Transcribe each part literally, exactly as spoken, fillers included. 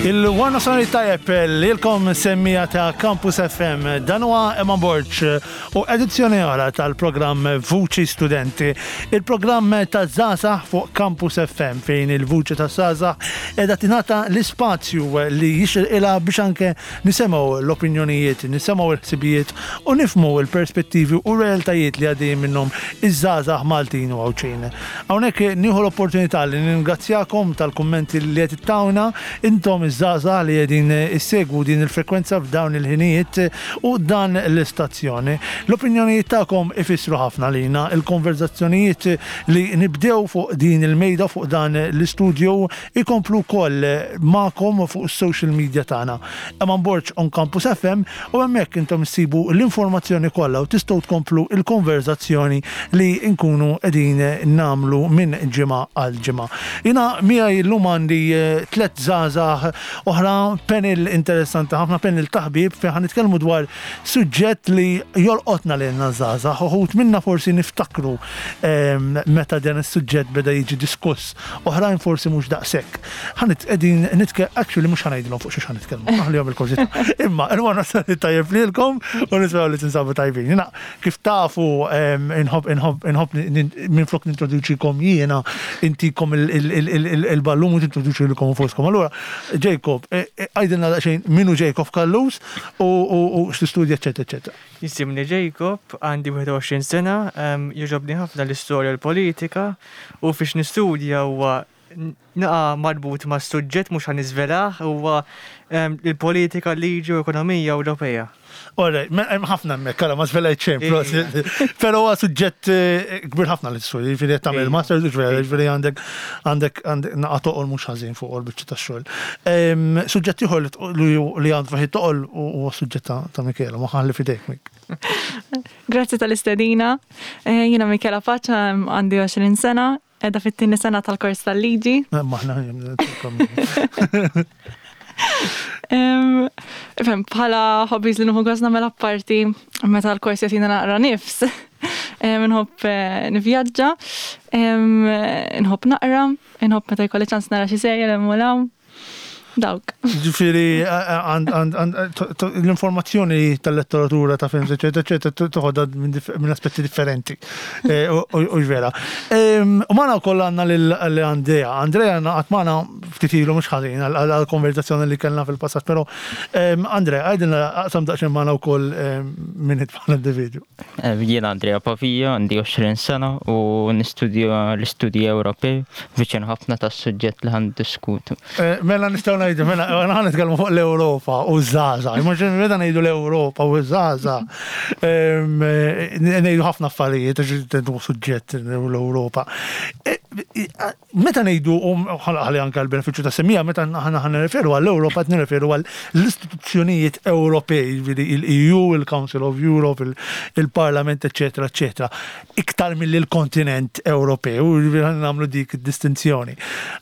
Il-Warna Sonri tajjeb lilkom, semmiegħa ta' Campus F M. Dan huwa Eman Borg u edizzjoni oħra tal-programm Vuċi Studenti. Il-programm ta' żgħażagħ fuq Campus F M, fejn il-vuċi ta' żgħażagħ qiegħda tingħata l-ispazju li jixirqilha biex anke nisimgħu l-opinjonijiet, nisimgħu l-ħsibijiet u nifhmu l-perspettivi u realtajiet li għaddejjin minnhom iż-żgħażagħ Maltin u Għawdxin. Hawnhekk nieħu l-opportunità li ningrazzjakom tal-kummenti li qed ittawna intom iż-żgħażagħ li qegħdin issegwu din il-frekwenza f'dawn il-ħinijiet u dan l-istazzjoni. L-opinjonijiet tagħkom ifissru ħafna lina, il-konverzazzjonijiet li nibdew fuq din il-mejda, fuq dan l-istudju, ikomplu wkoll magħkom fuq is-social media tagħna. Eman Borg on Campus F M, u hemmhekk intom issibu l-informazzjoni kollha u tistgħu tkomplu il-konverzazzjoni li nkunu qegħdin nagħmlu minn ġimgħa għal ġimgħa. Jiena miegħi llum għandi eh, tliet żgħażagħ oħra, panel interessanti ħafna, panel ta' ħbieb, fejn ħa nitkellmu dwar suġġett li jolqotna lilna żgħażagħ. Uħud minna forsi niftakru ehm, meta dan is-suġġett beda jiġi diskuss, oħrajn forsi mhux daqshekk. Ħa qegħdin nitke actually mhux ħa ngħidilhom fuq xiex ħa nitkellmu, naħlihom il-kurżità. Imma il-wara tajjeb lilkom u nisperaw li tinsabu tajbin. Jiena, kif tafu, ehm, inħobb inħobb inħobb minn flok nintroduċikom jiena, intikom il-ballun u tintroduċi lilkom infuskom. Allura, Jacob, eh, eh, għidilna daqsxejn min hu Jacob Callus u u x'tistudja, eċetera, eċetera. Jisimni Jacob, għandi wieħed u għoxrin sena, em, jogħġobni ħafna l-istorja u l-politika u fiex nistudja huwa naqa marbut ma' suġġett mhux ħa niżvelah, huwa em, il-politika, liġi u ekonomija Ewropea. Alright, hemm ħafna hemmhekk, ara ma żvelajt xejn, però huwa suġġett eh, kbir ħafna li tistudja, jiġifieri qed tagħmel master, jiġifieri għandek għandek għandek naqa toqol mhux ħażin fuq il-biċċa tax-xogħol. Em, Suġġett ieħor li li għandu fih toqol huwa suġġett ta' ta' Michela, ma ħalli fidejk, Mik. Grazzi tal-istedina. Eh, Jiena Michela Paċa, għandi għoxrin sena, qiegħda fit-tieni sena tal-kors tal-liġi. Maħna Em, Fem, bħala hobbies li nieħu gost nagħmel apparti meta l-kors jagħtina naqra nifs. Em, Nħobb eh, nivvjaġġa, em, nħobb naqra, nħobb meta jkolli ċans nara xi serje l hawn. Dawk. Ġifieri, l-informazzjoni tal-letteratura, ta' films, eccetera, eccetera, toħodha minn dif- minn aspetti differenti. Eh, U u vera. Em, U magħna wkoll għandna lil Andrea. Andrea ngħaqad magħna ftit ilu mhux ħażin għal-konverzazzjoni li kellna fil-passat, però em, Andrea, għidilna, aqsam daqsxejn magħna wkoll em, min int bħala individwu. Eh, Jiena Andrea Pavia, għandi għoxrin sena u nistudja l-istudji Ewropej, viċin ħafna tas-suġġett li ħa niddiskutu. Eh, Mela nistgħu ngħidu, mela ħa nitkellmu fuq l-Ewropa u żgħażagħ. Imma meta ngħidu l-Ewropa u żgħażagħ, em, eh, ngħidu ħafna affarijiet għax hu suġġett l-Ewropa. Eh, eh, Meta ngħidu, u ħalli anke l-benefiċċju ta' semmiegħa, meta aħna ħa nirreferu għall-Ewropa qed nirreferu għall-istituzzjonijiet Ewropej, jiġifieri il-E U, il-Council of Europe, il- il-Parlament, eccetera, eccetera. Iktar mill il-kontinent Ewropew, jiġifieri ħa nagħmlu dik id-distinzjoni.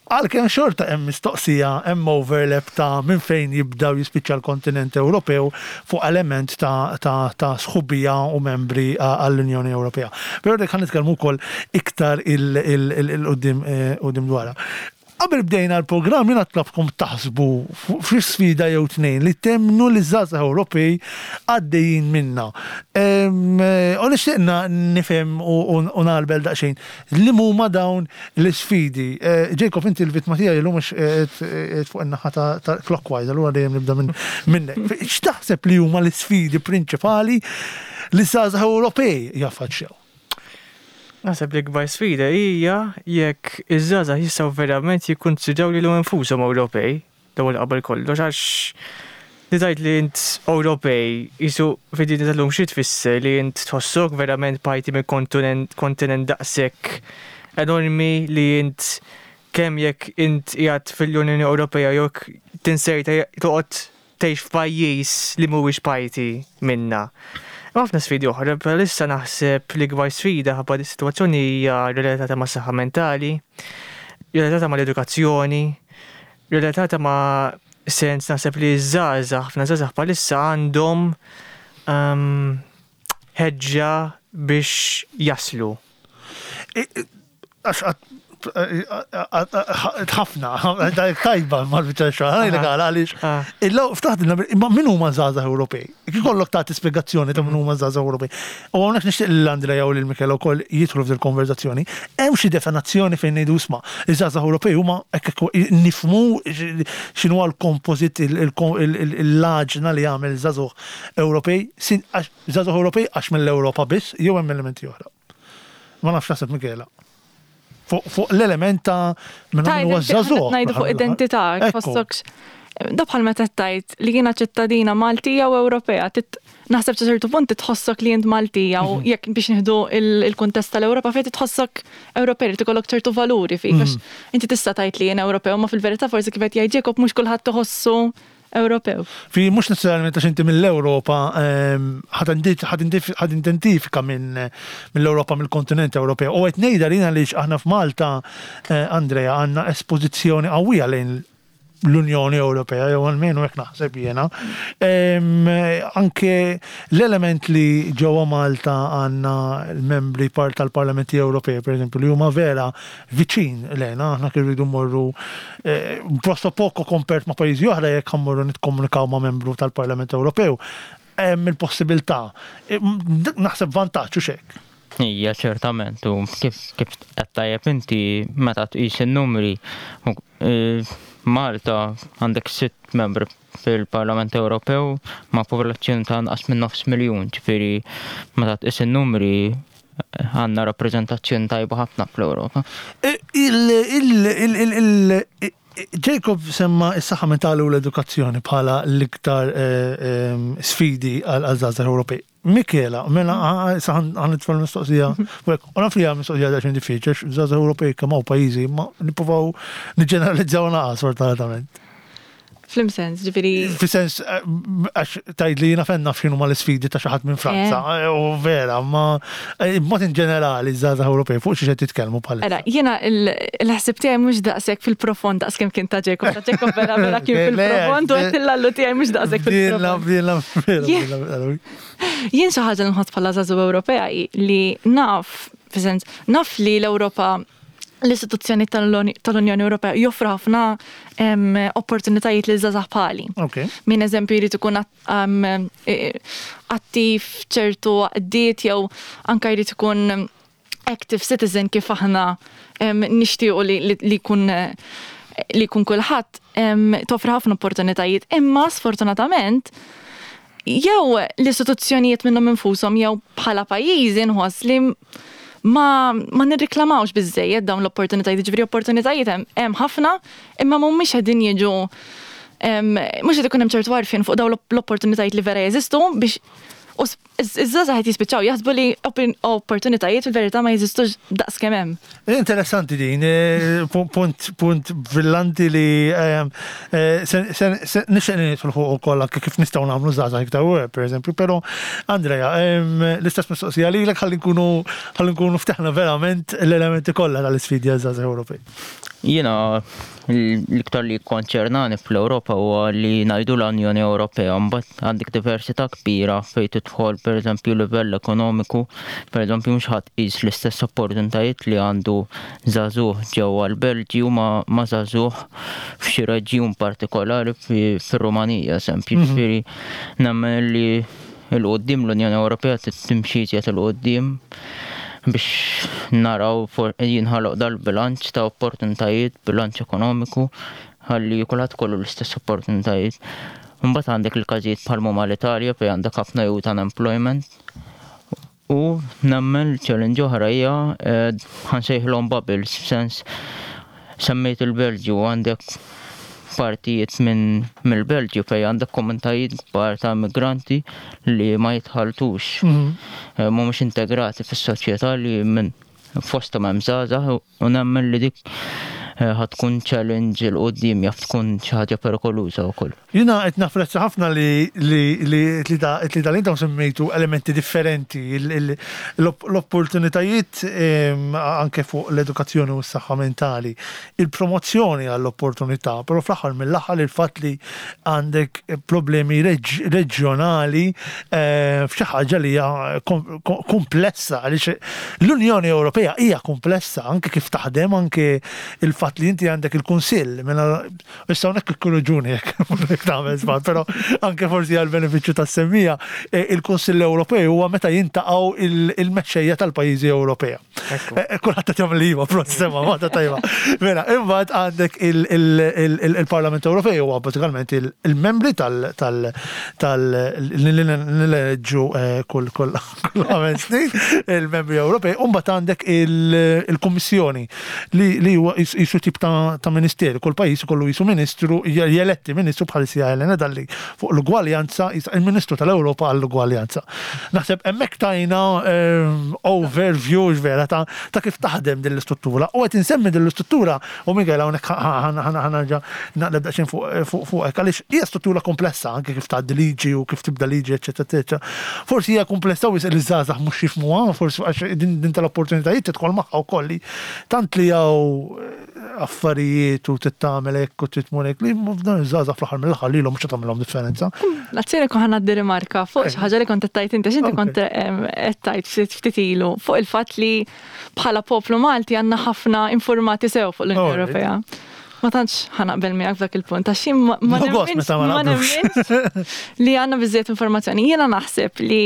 Għalkemm xorta hemm mistoqsija, hemm overlap ta' minn fejn jibdaw jispiċċa l-kontinent Ewropew fuq element ta', ta', ta' sħubija u membri għall-Unjoni Ewropea. Però dik ħa nitkellmu wkoll iktar il-qudiem qudiem dwarha. Qabel bdejna l-programm jiena tlabtkom taħsbu fi sfida jew tnejn li temmnu li żgħażagħ Ewropej għaddejjin minna. Em, eh, U nixtieqna nifhem u u nagħrbel daqsxejn li huma dawn l-isfidi. Eh, Jacob, inti l-vittma tiegħi llum mhux qed fuq in-naħa ta' ta' clockwise, allura dejjem nibda minn minnek. X'taħseb li huma l-isfidi prinċipali li żgħażagħ Ewropej jaffaċċjaw? Naħseb li kbar sfida hija jekk iż-żgħażagħ jistgħu verament jikkunsidraw lilhom infushom Ewropej, l-ewwel qabel kollox, għax li tgħid li int Ewropej jisu fid-dinja tal-lum xi tfisser, li int tħossok verament parti minn kontinent kontinent daqshekk enormi, li int kemm jekk int qiegħed fil-Unjoni Ewropea jew jekk tinserta toqgħod tgħix f'pajjiż li mhuwiex parti minna. Hemm ħafna sfidi oħra, bħalissa naħseb li kbar sfida ħabba dis-sitwazzjoni hija relatata ma' saħħa mentali, relatata mal-edukazzjoni, relatata ma' sens naħseb li żgħażagħ, ħafna żgħażagħ bħalissa għandhom um, ħeġġa biex jaslu. Għax għat Ħafna, tajba mal-biċċa xogħol, ħa ngħidlek għaliex. Ftaħt imma min huma żgħażagħ Ewropej? Kif ikollok tagħti spjegazzjoni ta' min huma żgħażagħ Ewropej. U hawnhekk nixtieq lil Andrea u lil Michela wkoll jidħlu f'dil konverzazzjoni. Hemm xi definizzjoni fejn ngħidu isma' iż-żgħażagħ Ewropej huma hekk nifhmu x'inhu l-kompożit il-laġna li jagħmel żgħażagħ Ewropej, żgħażagħ Ewropej għax mill-Ewropa biss jew hemm elementi oħra. Ma nafx naħseb Michela. Fuq l-element ta' minn huwa żagħżugħ. Ngħidu fuq identità, tħossokx. Da bħal meta tgħid li jiena ċittadina Maltija u Ewropea, naħseb sa ċertu punt tħossok li int Maltija u jekk biex nieħdu il-kuntest tal-Ewropa fejn tħossok Ewropej li tikollok ċertu valuri fik, għax inti tista' tgħid li jien Ewropew, ma fil-verità forsi kif qed jgħid Jacob mhux kulħadd tħossu Ewropew. Fi mhux necessarjament għax inti mill-Ewropa ħad identifika minn mill-Ewropa, mill-kontinent Ewropew. U qed ngħidha lina għaliex aħna f'Malta, Andrea, għandna espożizzjoni qawwija lejn l-Unjoni Ewropea, jew almenu hekk naħseb jiena. Anke l-element li ġewwa Malta għandna l-membri part tal-Parlamenti Ewropej, per eżempju, li huma vera viċin lejna, aħna kif rridu mmorru presso poco kompert ma' pajjiżi oħra jekk mmorru nikkomunikaw ma' membru tal-Parlament Ewropew. Hemm il-possibilità. Naħseb vantaġġ u xek. Ija, ċertament, u kif kif qed tajjeb inti meta tqis in-numri, Malta għandek sitt membri fil-Parlament Ewropew ma' popolazzjoni ta' anqas minn nofs miljun, ġifieri meta tqis in-numri għandna rappreżentazzjoni tajba ħafna fl-Ewropa. Jacob semma s-saħħa mentali u l-edukazzjoni bħala l-iktar sfidi għal żgħażagħ Ewropej. Michela, mela ħa nitfa' l-mistoqsija, u naf li hija mistoqsija daqsxejn diffiċli, żgħażagħ Ewropej kemm hawn pajjiżi, ma nippruvaw niġġeneralizzaw naqas sfortunatament. Flim sens, ġifieri. Fi sens, għax tgħid li jiena fejn naf x'inhuma l-isfidi ta' xi ħadd minn Franza, u vera, ma b'mod in ġenerali żgħażagħ Ewropej fuq xi qed titkellmu bħalissa. Ara, jiena l-ħsieb tiegħi mhux daqshekk fil-profond daqs kemm kien ta' Jacob, ta' Jacob vera vera kien fil-profond u qed illallu tiegħi mhux daqshekk fil-profond. Jien xi ħaġa nħoss bħala żagħżugħ Ewropea li naf, fi sens, naf li l-Ewropa l-istituzzjoni tal-Unjoni Ewropea joffru ħafna opportunitajiet li żgħażagħ bħali. Min eżempju jrid ikun attiv ċertu għaqdiet jew anke jrid ikun active citizen kif aħna nixtiequ li jkun li jkun kulħadd, toffri ħafna opportunitajiet. Imma sfortunatament jew l-istituzzjonijiet minnhom infushom jew bħala pajjiżi nħoss li ma ma nirriklamawx biżejjed dawn l-opportunitajiet, ġifieri opportunitajiet hemm ħafna, imma mhumiex qegħdin jiġu mhux qed ikun hemm ċertu għarfien fuq dawn l-opportunitajiet li vera jeżistu biex iż-żgħażagħ qed jispiċċaw jaħsbu li opportunitajiet fil-verità ma jeżistux daqs kemm hemm. Interessanti din, punt punt brillanti li nixtieq nidħol fuq ukoll anke kif nistgħu nagħmlu żgħażagħ iktar per eżempju, però Andrea, l-istess mistoqsija lilek ħalli nkunu ħalli nkunu ftaħna verament l-elementi kollha tal-isfidi għaż-żgħażagħ Ewropej. Jiena l-iktar li konċernani fl-Ewropa huwa li ngħidu l-Unjoni Ewropea, mbagħad għandek diversità kbira fejn tidħol pereżempju livell ekonomiku, pereżempju mhux ħadd qis l-istess opportunitajiet li għandu żagħżugħ ġewwa l-Belġju ma' żagħżugħ f'xi reġjun partikolari fir-Rumanija, eżempju. Ġifieri nemmen li l-qudiem l-Unjoni Ewropea timxi iżjed 'il quddiem biex naraw jinħoloq dal-bilanċ ta' opportunitajiet, bilanċ ekonomiku, ħalli kulħadd kollu l-istess opportunitajiet. Mbagħad għandek il-każijiet bħal huma l-Italja fejn għandek ħafna youth unemployment. U nemmen challenge oħra hija ħansejħilhom bubbles, f'sens semmejt il-Belġju għandek partijiet minn mill-Belġju fejn għandek komunitajiet kbar ta' immigranti li ma jitħaltux, mhumiex integrati fis-soċjetà li minn fosthom hemm żgħażagħ u nemmen li dik eh, ħa tkun challenge 'il quddiem, jaf tkun xi ħaġa perikoluża wkoll. Jiena qed napprezza ħafna li li li tlieta tlieta li intom semmejtu elementi differenti, il- il- l-opportunitajiet em, anke fuq l-edukazzjoni u s-saħħa mentali, il-promozzjoni għall-opportunità, però fl-aħħar mill-aħħar il-fatt li għandek problemi reġ- reġjonali eh, f'xi ħaġa li hija kom- kom- komplessa, għaliex l-Unjoni Ewropea hija komplessa anke kif taħdem, anke il-fatt li inti għandek il-Kunsill, mela issa hawnhekk ikkorreġuni jekk tagħmel żball, però anke forsi għal benefiċċju tas-semmiegħa, eh, il-Kunsill Ewropew huwa meta jiltaqgħu il- il-mexxejja tal-pajjiżi Ewropea. Ekku. Eh, Kulħadd qed jagħmel iva, prost sema, ma tajba. Mela, imbagħad għandek il- il- il- il-Parlament Ewropew huwa bażikament il- il-membri tal tal tal li eh, kull kull kull ħames snin, il-membri Ewropej, u mbagħad għandek il- il-Kummissjoni li li huwa jis- jisu tip ta' ta' ministeru, kull pajjiż ikollu jisu ministru, jeletti ministru bħal sija Elena Dalli fuq l-ugwaljanza, jis- il-Ministru tal-Ewropa għall-ugwaljanza. Naħseb hemmhekk tajna ehm, overview vera ta' ta' kif taħdem din l-istruttura. U qed insemmi din l-istruttura u Miguel hawnhekk ħa nerġa' naqleb daqsxejn fuq fuq fuqek għaliex hija struttura komplessa anke kif tgħaddi liġi u kif tibda liġi, eċetera, eċetera. Forsi hija komplessa u li żgħażagħ mhux jifhmuha, forsi għax din din tal-opportunitajiet tidħol magħha wkoll li tant li hawn affarijiet u tittamel hekk u titmur hekk li dan iż-żgħażagħ fl-aħħar mill-aħħar lilhom mhux tagħmilhom differenza. L-azzjoni kon ħa ngħaddi rimarka fuq xi ħaġa li kont qed tgħid inti, għax inti Ok. kont em, qed tgħid ftit ftit ilu fuq il-fatt li bħala poplu Malti għandna ħafna informati sew fuq l-Unjoni Alright. Ewropea. Ma tantx ħa naqbel miegħek f'dak il-punt, għax jien ma ma No gost nemminx meta ma ma naqblux. nemminx li għandna biżżejjed informazzjoni. Jiena naħseb li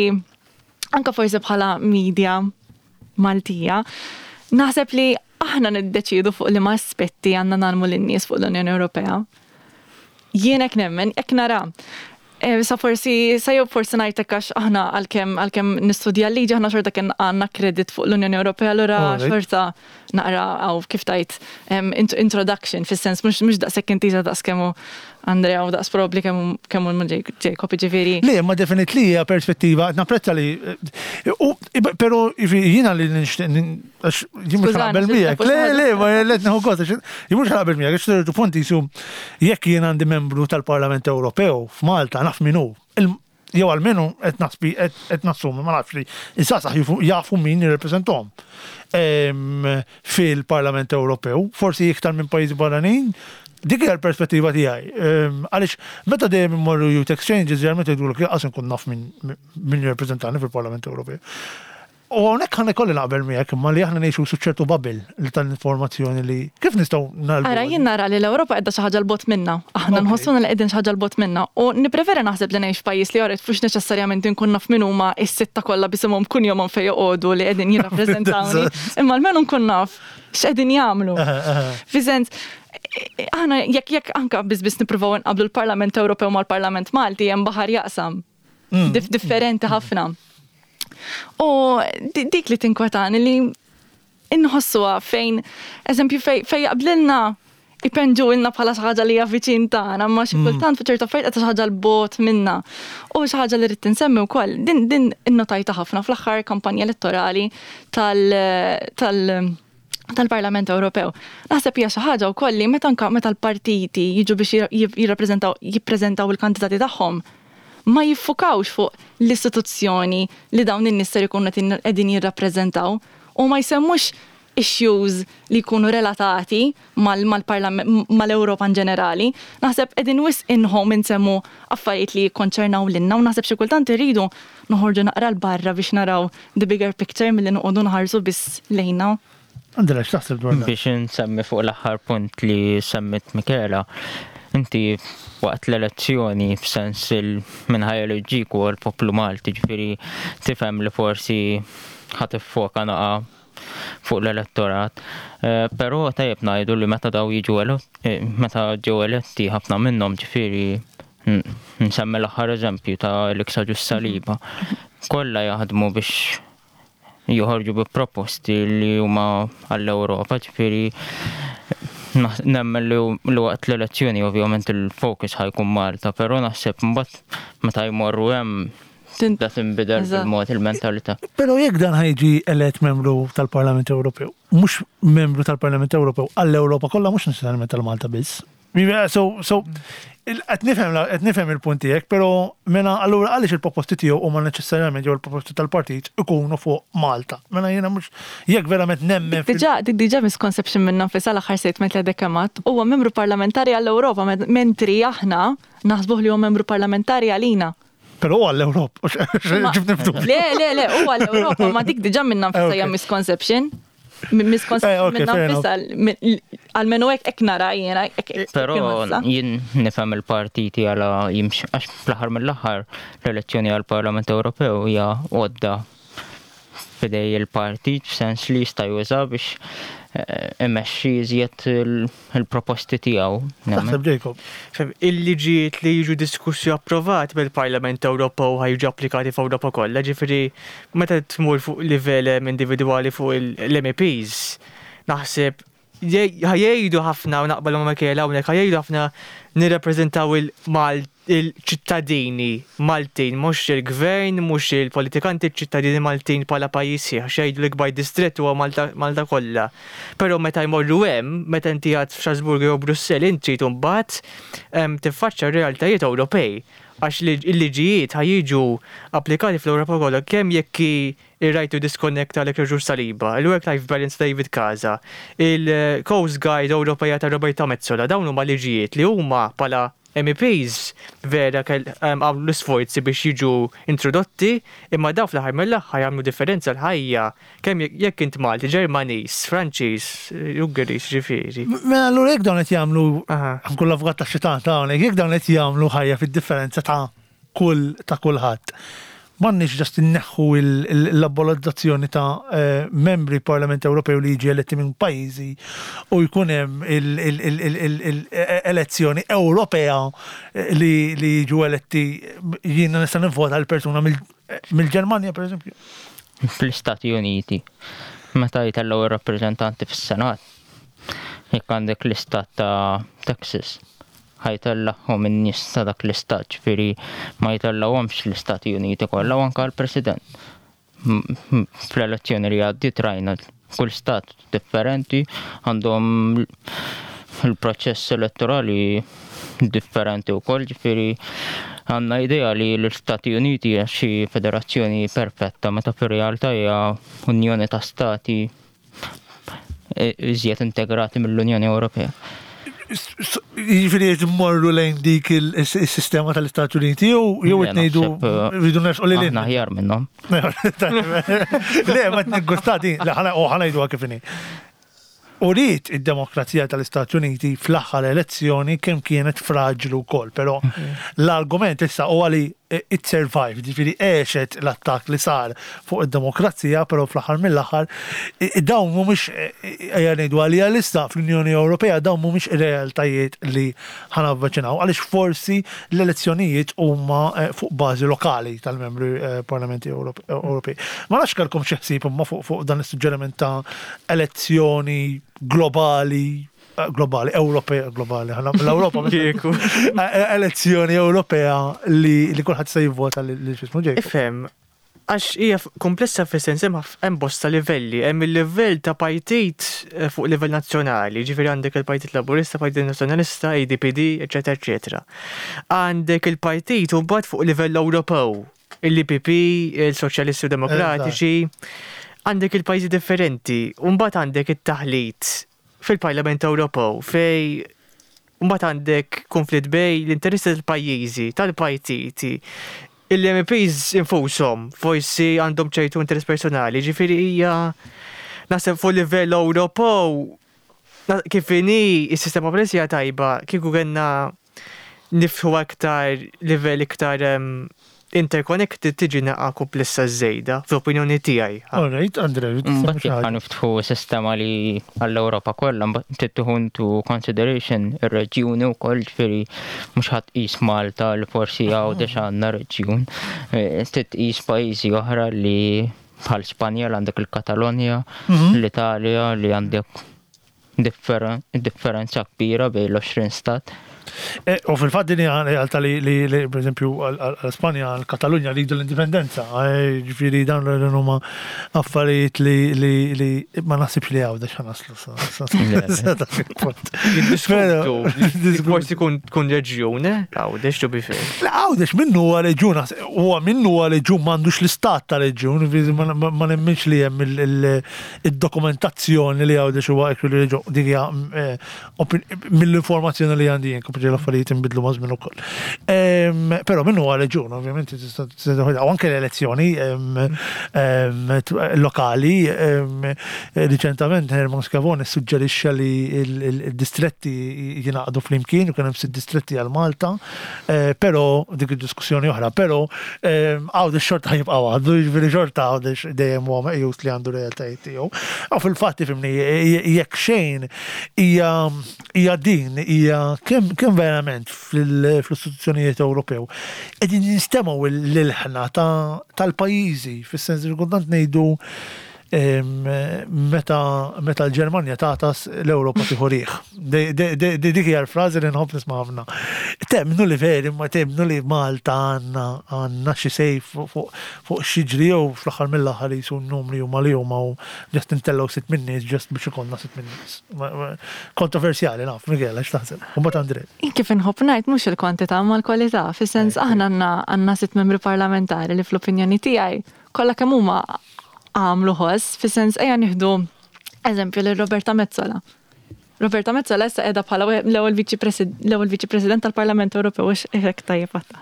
anka forsi bħala media Maltija, naħseb li aħna niddeċidu fuq liema aspetti għandna ngħallmu lin-nies fuq l-Unjoni Ewropea. Jien hekk nemmen, hekk nara. Eh, Sa forsi, sa jew forsi ngħidlek għax aħna għalkemm għalkemm nistudja l-liġi, aħna xorta kien għandna kredit fuq l-Unjoni Ewropea, allura Alright. xorta naqra għaw kif tajt em, int- introduction, fis-sens mhux mhux daqshekk intiża daqs kemm hu Andrea u daqs probabbli kemm kemm hu Jacob, ġifieri. Le, ma definitely hija perspettiva, napprezza li, u, pero jiena li nixtieq, għax jien mhux Skużani, naqbel xi miegħek. Le, xi le, ma let nieħu gost, għax jien mhux naqbel miegħek, għax ċertu punt jisu jekk jien għandi membru tal-Parlament Ewropew f'Malta naf min hu. Il- Jew almenu qed nasbi qed nassumi, ma nafx li iż-żgħażagħ jifu- jafu min jirrepreżentahom Em, fil-Parlament Ewropew, forsi iktar minn pajjiżi barranin. Dik hija l-perspettiva tiegħi. Em, Għaliex meta dejjem immorru youth exchanges, ġeneralment jgħidulek lanqas nkun naf min min jirrepreżentani fil-Parlament Ewropew. U hawnhekk ħa jkolli naqbel miegħek, imma li aħna ngħixu su ċertu bubble li tal-informazzjoni li kif nistgħu nagħlbu. Ara, jien nara li l-Ewropa qiegħda xi ħaġa 'l bogħod minna. Aħna Ok. nħossuna li qegħdin xi ħaġa 'l bogħod minna. U nippreferi naħseb li ngħix f'pajjiż li joret fux neċessarjament inkun naf min huma is-sitta kollha bisimhom kunjomhom fejn joqogħdu li qegħdin jirrappreżentawni. Imma almenu nkun naf x'qegħdin jagħmlu. Fi sens, aħna jekk jekk anka biss biss nippruvaw nqablu l-Parlament Ewropew mal-Parlament Malti hemm baħar jaqsam. Dif differenti ħafna. U di- dik li tinkwetani li inħossuha fejn, eżempju, fej, fej jaqblilna ipenġu ilna bħala xi ħaġa li hija viċin tagħna, ma xi kultant fuq ċertu affarijiet qed xi ħaġa 'l bogħod minna. U xi ħaġa li rrid insemmi wkoll, din din innotajta ħafna fl-aħħar kampanja elettorali tal tal tal-Parlament Ewropew. Naħseb hija xi ħaġa wkoll li meta anka meta l-partiti jiġu biex jirrappreżentaw jippreżentaw il-kandidati tagħhom ma jiffukawx fuq l-istituzzjoni li dawn in-nies ser ikunu qegħdin jirrappreżentaw u ma jsemmux issues li jkunu relatati mal-parlament mal-Ewropa in ġenerali. Naħseb qegħdin wisq inħom insemmu affarijiet li jikkonċernaw lilna u naħseb xi kultant irridu noħorġu naqra 'l barra biex naraw the bigger picture milli noqogħdu nħarsu biss lejna. Andrea, x'taħseb dwar dan? Biex nsemmi fuq l-aħħar punt li semmit Michela, inti waqt l-elezzjoni f'sens il min ħa jeleġġik u l-poplu Malti, ġifieri tifhem li forsi ħa tiffoka naqa fuq l-elettorat. Eh, Però tajjeb ngħidu li meta daw jiġu elo- eh, meta ġew eletti ħafna minnhom, ġifieri n- nsemmi l-aħħar eżempju ta' Alex Agius Saliba. Kollha jaħdmu biex joħorġu bi proposti li huma għall-Ewropa, ġifieri naħ- nemmen li li waqt l-elezzjoni ovvjament il-fokus ħa jkun Malta, però naħseb mbagħad meta jmorru hemm Tin- da tinbidel Eżatt. bil-mod il-mentalità. Però jekk dan ħa jiġi elett membru tal-Parlament Ewropew, Mhux membru tal-Parlament Ewropew għall-Ewropa kollha, mhux neċessarjament tal-Malta biss. So, so, qed nifhem qed nifhem il-punt tiegħek, però mela allura għaliex il-proposti tiegħu huma neċessarjament jew il-proposti tal-partit ikunu fuq Malta? Mela jiena mhux jekk verament nemmen fil- Diġà, dik diġà misconception minna nfisha, l-aħħar statement li għadek kemm għedt. Huwa membru parlamentari għall-Ewropa, mentri aħna naħsbuh li huwa membru parlamentari għalina. Però huwa għall-Ewropa. Ma- Ġib niftu. Le, le, le, huwa l-Ewropa, ma dik diġà minna nfisha hija Ok. misconception. Mi- Eh, Misconception ok, minna fair enough. nfisha, mi- almenu hekk hekk nara jiena. hekk- hekk Però inħossha. jien nifhem il-partiti għala jimx, għax fl-aħħar mill-aħħar l-elezzjoni għall-Parlament Ewropew hija għodda f'idej il-partit, f'sens li jista' juża biex eh, imexxi iżjed il- il-proposti tiegħu. Nemmen. Taħseb, Jacob? Fem, il-liġijiet li jiġu diskussi u approvati mill-Parlament Ewropew ħa jiġu applikati f'Ewropa kollha, ġifieri meta tmur fuq livell em, individwali fuq l-M E Ps, naħseb ħa jgħidu ħafna, u naqbel ma' Michaela hawnhekk, ħa jgħidu ħafna nirrappreżentaw il-Mal il-ċittadini Maltin, mhux il-gvern, mhux il-politikanti, il-ċittadini Maltin bħala pajjiż sħiħ, għax jgħidu l-ikbar distrett huwa Malta, Malta kollha. Però meta jmorru hemm, meta inti għad f'Strasburgu jew Brussell, inti trid mbagħad em, tiffaċċja r-realtajiet Ewropej, għax li- il-liġijiet ħa jiġu applikati fl-Ewropa kollha, kemm jekk ir-right to disconnect tal Ġur Saliba, il-work-life balance David Casa, il-Coast Guard Ewropea ta' Roberta Metsola, dawn huma liġijiet li huma bħala M E Ps vera kell em, għamlu l-sforzi biex jiġu introdotti, imma daw fl-aħħar mill-aħħar jagħmlu differenza l-ħajja kemm jekk- jekk int Malti, Ġermaniż, Franċiż, Ungeriż, ġifieri. Mela allura jekk dawn qed jagħmlu, Aha. kull avukat ta' xitan ta' hawnhekk, jekk dawn qed jagħmlu ħajja fid-differenza ta' kull ta' kulħadd, m'għandniex just inneħħu l-abolizzazzjoni ta' eh, membri Parlament Ewropew li jiġi eletti minn pajjiżi u jkun hemm il-elezzjoni Ewropea eh, li li jiġu eletti, jiena nista' nivvota għal persuna mill- mill-Ġermanja, per eżempju? Fl-Istati Uniti, meta jtellgħu ir-rappreżentanti fis-Senat, jekk għandek l-istat ta' Texas, ħa jtellagħhom in-nies ta' dak l-istat, ġifieri ma jtellgħuhomx l-Istati Uniti kollha, u anke l-President. M- m- Fl-elezzjoni li għaddiet rajna kull stat differenti għandhom il-proċess elettorali differenti wkoll, ġifieri għandna idea li l-Istati Uniti hija xi federazzjoni perfetta, meta fir-realtà hija unjoni ta' stati eh, iżjed integrati mill-Unjoni Ewropea. Jiġifieri qed immorru lejn dik il-sistema tal-Istati Uniti jew jew Le, qed ngħidu naħseb, eh, rridu nersqu lil Aħna aħjar minnhom. Le, ma t-niggustati, le, ħa u ħa ngħidu kif inhi. Uriet id-demokrazija tal-Istati Uniti fl-aħħar elezzjoni kemm kienet fraġlu wkoll, però l-argument issa huwa li it survived, ġifieri għexet l-attakk li sar fuq id-demokrazija, però fl-aħħar mill-aħħar i- dawn mhumiex, ejja ngħidu għalija lista fl-Unjoni Ewropea, dawn mhumiex realtajiet li ħa navviċinaw, għaliex forsi l-elezzjonijiet huma eh, fuq bażi lokali tal-membri eh, Parlamenti Ewrope- Ewropej. Ma nafx kellkom xi ħsieb imma fuq fuq dan is-suġġeriment ta' elezzjoni globali eh, globali, Ewropea, globali, ħana l-Ewropa Kieku. Eh, elezzjoni Ewropea li li kulħadd se jivvota li li x'ismu, Jacob. Ifhem, għax hija f- komplessa fis-sens hemm ħaf- hemm bosta livelli, hemm il-livell ta' partit eh, fuq livell nazzjonali, ġifieri għandek il-Partit Laburista, Partit Nazzjonalista, A D P D, eċetera, eċetera. Għandek il-partit u mbagħad fuq livell Ewropew, il-E P P, il-Soċjalisti u Demokratiċi, għandek il-pajjiżi differenti, u mbagħad għandek it-taħlit fil-Parlament Ewropew fej mbagħad għandek konflitt bej l-interessi tal-pajjiżi, tal-partiti, il-M Ps infushom forsi għandhom ċertu interess personali, ġifieri hija naħseb fuq livell Ewropew na- kif inhi is-sistema bħalissa hija tajba, kieku kellna niftħu aktar livell iktar em, interconnected tiġi naqa komplessa żejda, fl-opinjoni tiegħi. All right, Andre, Mbagħad jekk ħa niftħu sistema li għall-Ewropa kollha, mbagħad trid tieħu into consideration ir-reġjuni wkoll, ġifieri mhux ħadd tqis Malta li forsi Għawdex għandna reġjun. Eh, Trid tqis pajjiżi oħra li bħal Spanja li għandek il-Katalonja, l-Italja li għandek differen- differenza kbira bejn l-għoxrin stat. Eh, U fil-fatt din hija realtà li, li, li per eżempju għal-Spanja, għal-Katalunja li jridu l-indipendenza, eh, ġifieri dawn l huma affarijiet li, li, li ma naħsibx li Għawdex ħa naslu sa- sa- sa dak il-punt. Jiddiskutu. Però- Forsi kun tkun reġjun, eh? Għawdex to be fair. La Għawdex minnu huwa reġjun, huwa minnu huwa reġjun m'għandux l-istat ta' reġjun, ġifieri ma- ma ma nemminx li hemm il- il- id-dokumentazzjoni li Għawdex huwa actually reġjun, dik hija eh, opin- mill-informazzjoni li għandi jien, kompli l-affarijiet inbidlu ma' żmien ukoll. Em, Però minnu huwa reġjun, ovvjament, tista' tista' u anke l-elezzjoni em, em, t- lokali, em, riċentament Herman Schiavone suġġerixxa li il- il- il-distretti jingħaqdu flimkien u kien hemm sitt distretti għal Malta, eh, però dik id-diskussjoni oħra, però em, Għawdex xorta jibqa' għadu, jiġifieri xorta Għawdex dejjem huwa meqjus li għandu realtajiet tiegħu. U fil-fatt ifhimni, jekk xejn hija hija din hija kemm kemm verament fil- fl-istituzzjonijiet Ewropew qegħdin jinstemgħu l-ilħna ta' tal-pajjiżi, fis-sens li kultant ngħidu em, meta meta l-Ġermanja tagħtas l-Ewropa tieħu riħ. Dik hija l-frażi li nħobb nisma' ħafna. Temmnu li veri, ma temmnu li Malta għandna għandna xi sejf fuq fuq xiġri jew fl-aħħar mill-aħħar jisu n-numri huma li huma u just intellgħu sitt min-nies just biex ikollna sitt min-nies. Ma- ma- Kontroversjali naf, Michela, x'taħseb? U mbagħad Andre. Kif inħobb ngħid mhux il-kwantità ma l-kwalità, fis-sens aħna għandna għandna sitt membri parlamentari li fl-opinjoni tiegħi kollha kemm huma għamlu ħoss, fis-sens ejja nieħdu eżempju lil Roberta Metsola. Roberta Metsola issa qiegħda bħala l-ewwel viċi presid- l-ewwel viċi president tal-Parlament Ewropew għax hekk tajjeb għatta.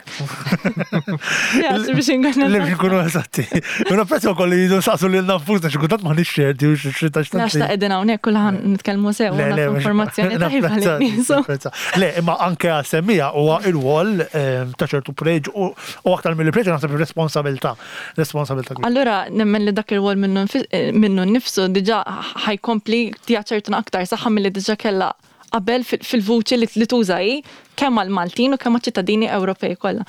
Ja, biex inkun Li biex nkunu eżatti. U napprezzu wkoll li jidu saqsu lil nafusna xi kultant ma ċerti u xi ta' Għax ta' qegħdin hawnhekk kulħadd nitkellmu sew u nagħtu informazzjoni tajba lin-nies. Le, imma anke għal-semmija huwa il-wol ehm, ta' ċertu preġ u u aktar mill-preġ naħseb responsabilità. Responsabilità kbira. Allura nemmen li dak il-wol minnu nfis- eh, minnu nnifsu diġà ħa jkompli ċertuna aktar saħħa milli diġà kellha qabel fil- fil-vuċi li li tuża hi kemm għall-Maltin u kemm għall-ċittadini Ewropej kollha.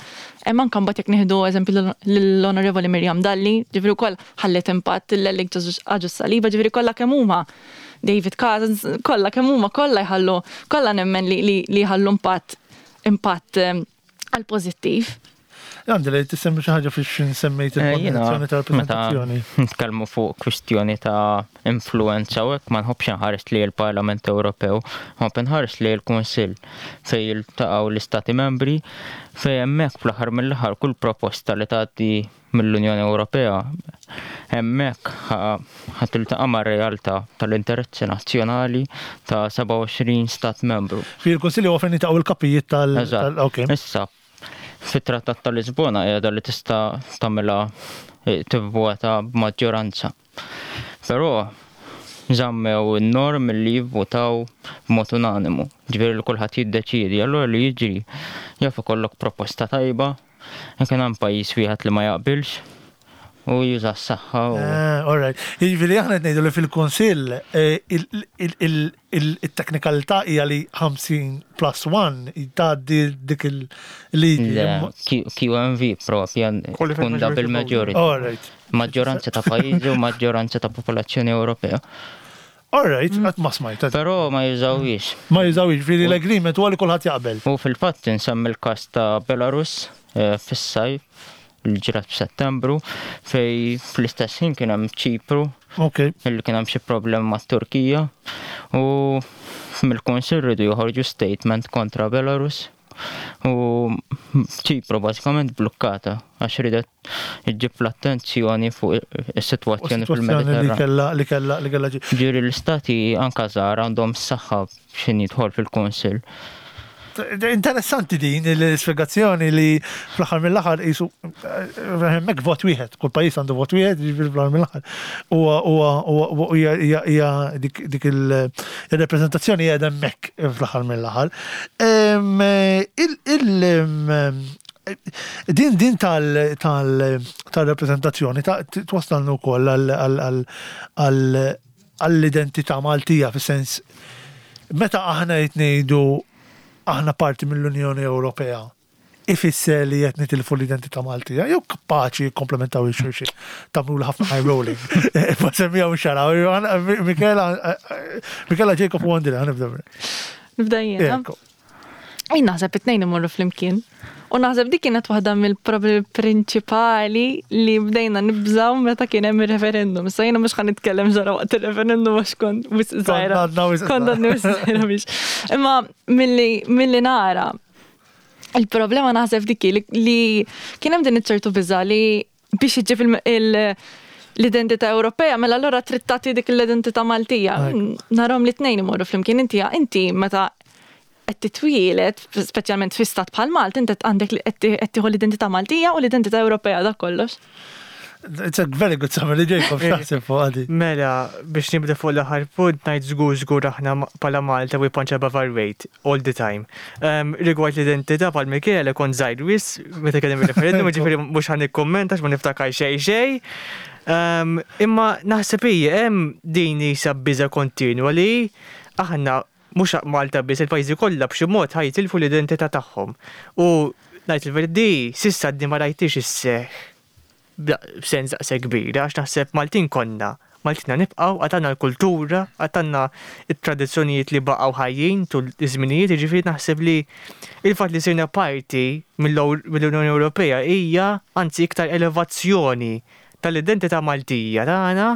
Hemm anke mbagħad jekk nieħdu eżempju l-Onorevoli Miriam Dalli, ġifieri wkoll ħallet impatt l-Ellik Agius Saliba, ġifieri kollha kemm huma David Cousins, kollha kemm huma kollha jħallu, kollha nemmen li li li jħallu impatt impatt eh, għal pożittiv. Għandi li tissemmi xi ħaġa fiex nsemmejt Eh, jiena, il-kondizzjoni ta' meta rappresentazzjoni. nitkellmu fuq kwistjoni ta' influenza u hekk ma nħobbx nħares li l-Parlament Ewropew, nħobb nħares li l-Kunsill fejn jiltaqgħu l-Istati Membri fejn hemmhekk fl-aħħar mill-aħħar kull proposta li tgħaddi mill-Unjoni Ewropea hemmhekk ħa tiltaqa' mar-realtà tal-interessi nazzjonali ta' sebgħa u għoxrin stat membru. Fi l-Kunsilli huwa fejn jiltaqgħu il-kapijiet tal- Eżatt. tal- Ok. Issa, fit-Trattat ta' Lisbona qiegħda li tista' tagħmilha eh, tivvota b'maġġoranza. Però żammew in-norm li jivvotaw b'mod unanimu. Ġifieri li kulħadd jiddeċiedi, allura li jiġri jaf ikollok proposta tajba, jekk hemm pajjiż wieħed li ma jaqbilx u juża s-saħħa u Eh, All right. Jiġifieri aħna qed ngħidu li fil-Kunsill eh, il- il- il- il- il-teknikalità hija li ħamsin plus wieħed tgħaddi dik il-liġi. Le, Q- QMV propja Qualified tkun double majority vote. majority. All right. Maġġoranza ta' pajjiżi u maġġoranza ta' popolazzjoni Ewropea. All right, qatt ma smajt. Però ma jużawhiex. Ma jużawhiex, ġifieri l-agreement huwa li kulħadd jaqbel. U fil-fatt insemmi l-każ ta' Belarus eh, fis-sajf li ġrat f'Settembru fej fl-istess ħin kien hemm Ċipru Ok. illi kien hemm xi problemi mat-Turkija u mill-Kunsill rridu joħorġu statement kontra Belarus u Ċipru bażikament blukkata għax ridet iġġib l-attenzjoni fuq is-sitwazzjoni Situazzjoni li fil-Mediterran. kella li kella li kella ġi. Ġifieri l-istati anka żgħar għandhom s-saħħa x'in jidħol fil-Kunsill. Interessanti din l-spiegazzjoni li fl-aħħar mill-aħħar jisu hemmhekk vot wieħed, kull pajjiż għandu vot wieħed, jiġifieri fl-aħħar mill-aħħar. Huwa huwa huwa hija hija hija dik dik il-rappreżentazzjoni hija hemmhekk fl-aħħar mill-aħħar. Em, Il il em, din din tal tal tal-rappreżentazzjoni ta' twassalna wkoll għal għal għal għall-identità Maltija fis-sens meta aħna qed ngħidu aħna parti mill-Unjoni Ewropea ifisser li qed nitilfu l-identità Maltija, jew kapaċi jikkomplementaw il-xulxin. Tagħmlu ħafna eye rolling. Ma semmija mhux xaraw. Michela Michela Jacob u Andrea, nibda. Nibda jiena. Ekku. Jien naħseb it-tnejn imorru flimkien. U naħseb dik kienet waħda mill-problemi prinċipali li bdejna nibżaw meta kien hemm ir-referendum. Issa jiena mhux ħa nitkellem ġara waqt ir-referendum għax kont wisq żgħira. Kont għadna wisq Kont għadni wisq żgħira biex. Imma milli milli nara il-problema naħseb dik li, li kien hemm din iċ-ċertu biża li biex iġġib il- il- l-identità Ewropea, mela allura trid tagħti dik l-identità Maltija. Narahom li tnejn imorru flimkien inti inti meta qed titwielet, speċjalment fi stat bħal Malta, inti għandek li qed tieħu l-identità Maltija u l-identità Ewropea dak kollox. It's a very good summary, Jacob, x'taħseb fuq għadi? Mela, biex nibda fuq l-aħħar punt, ngħid żgur żgur aħna bħala Malta we punch above our weight all the time. Um, rigward l-identità bħal Michele kont żgħir wisq meta kien hemm il-referendum, ġifieri mhux ħa nikkummenta ma niftakar xejn xejn. Um, imma naħseb hija hemm din isa biża kontinwa li aħna mhux Malta biss il-pajjiżi kollha b'xi mod ħa jitilfu l-identità tagħhom. U ngħid il-verità s'issa di ma rajtix isseħħ b'sens daqshekk kbira għax naħseb Maltin konna. Maltina nibqgħu għad għandna l-kultura, għad għandna it-tradizzjonijiet li baqgħu ħajjin tul iż-żminijiet, jiġifieri naħseb li il-fatt li sirna parti mill-Unjoni Ewropea hija anzi iktar elevazzjoni tal-identità Maltija tagħna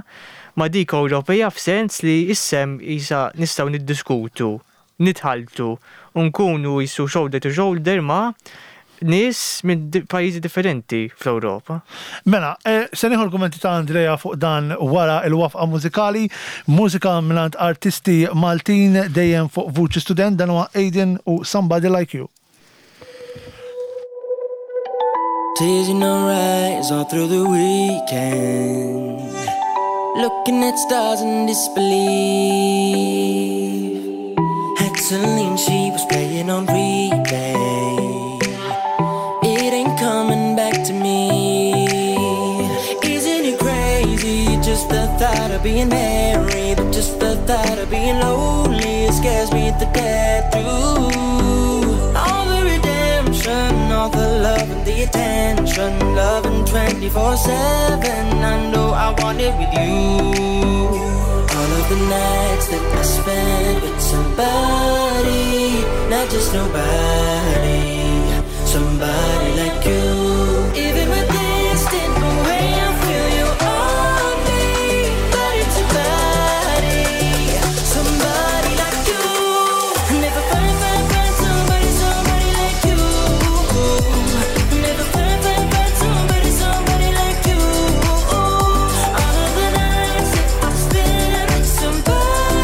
ma' dik Ewropea f'sens li issem isa nistgħu niddiskutu, nitħaltu u nkunu jisu shoulder to shoulder ma' nies minn di- pajjiżi differenti fl-Ewropa. Mela, eh, se nieħu l-kummenti ta' Andrea fuq dan wara il-waqfa mużikali, mużika mingħand artisti Maltin dejjem fuq Vuċi Student, dan huwa Aiden u Somebody Like You. Tears in our eyes all through the weekend. Looking at stars in disbelief. Had Celine, she was playing on replay. It ain't coming back to me. Isn't it crazy? Just the thought of being married, but just the thought of being lonely, it scares me to death. Through all the redemption, all the love and the attention, loving twenty-four seven. I know I want it with you. All of the nights that I spent with somebody, not just nobody, somebody like you. Even with distant away, I feel you on me, body to body, somebody like you. Never find, find, find somebody, somebody like you. Never find, find, find somebody, somebody like you. All of the nights that I spent with somebody,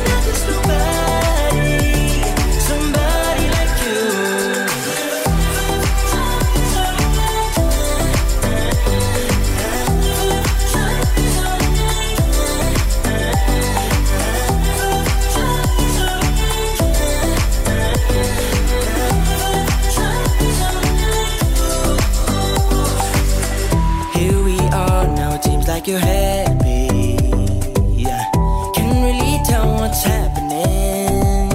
not just nobody, somebody like you. Here we are now, it seems like you're happy. Yeah, can't really tell what's happening.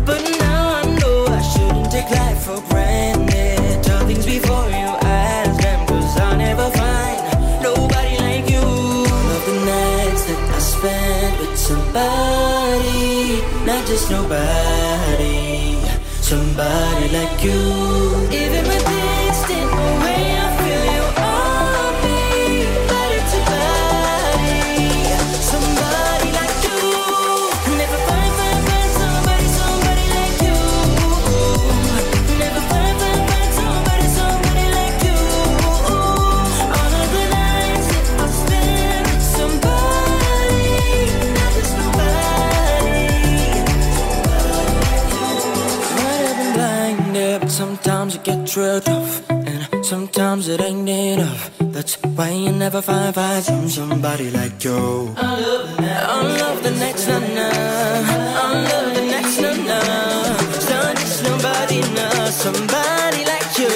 But now I know I shouldn't take life for granted. Tell things before you ask them, 'cause I'll never find nobody like you. All of the nights that I spent with somebody, not just nobody, somebody like you. Even with distant away, I feel you on me, body to body, somebody like you. Never find, find, find somebody, somebody like you. Never find, find, find somebody, somebody like you. All of the nights that I spent with somebody, not just nobody. Might have been blinded, but sometimes it gets real tough, and sometimes it ain't enough. That's why you never find, find some somebody like you. I love the next na na. I love the next na na. It's not just nobody, no, somebody like you.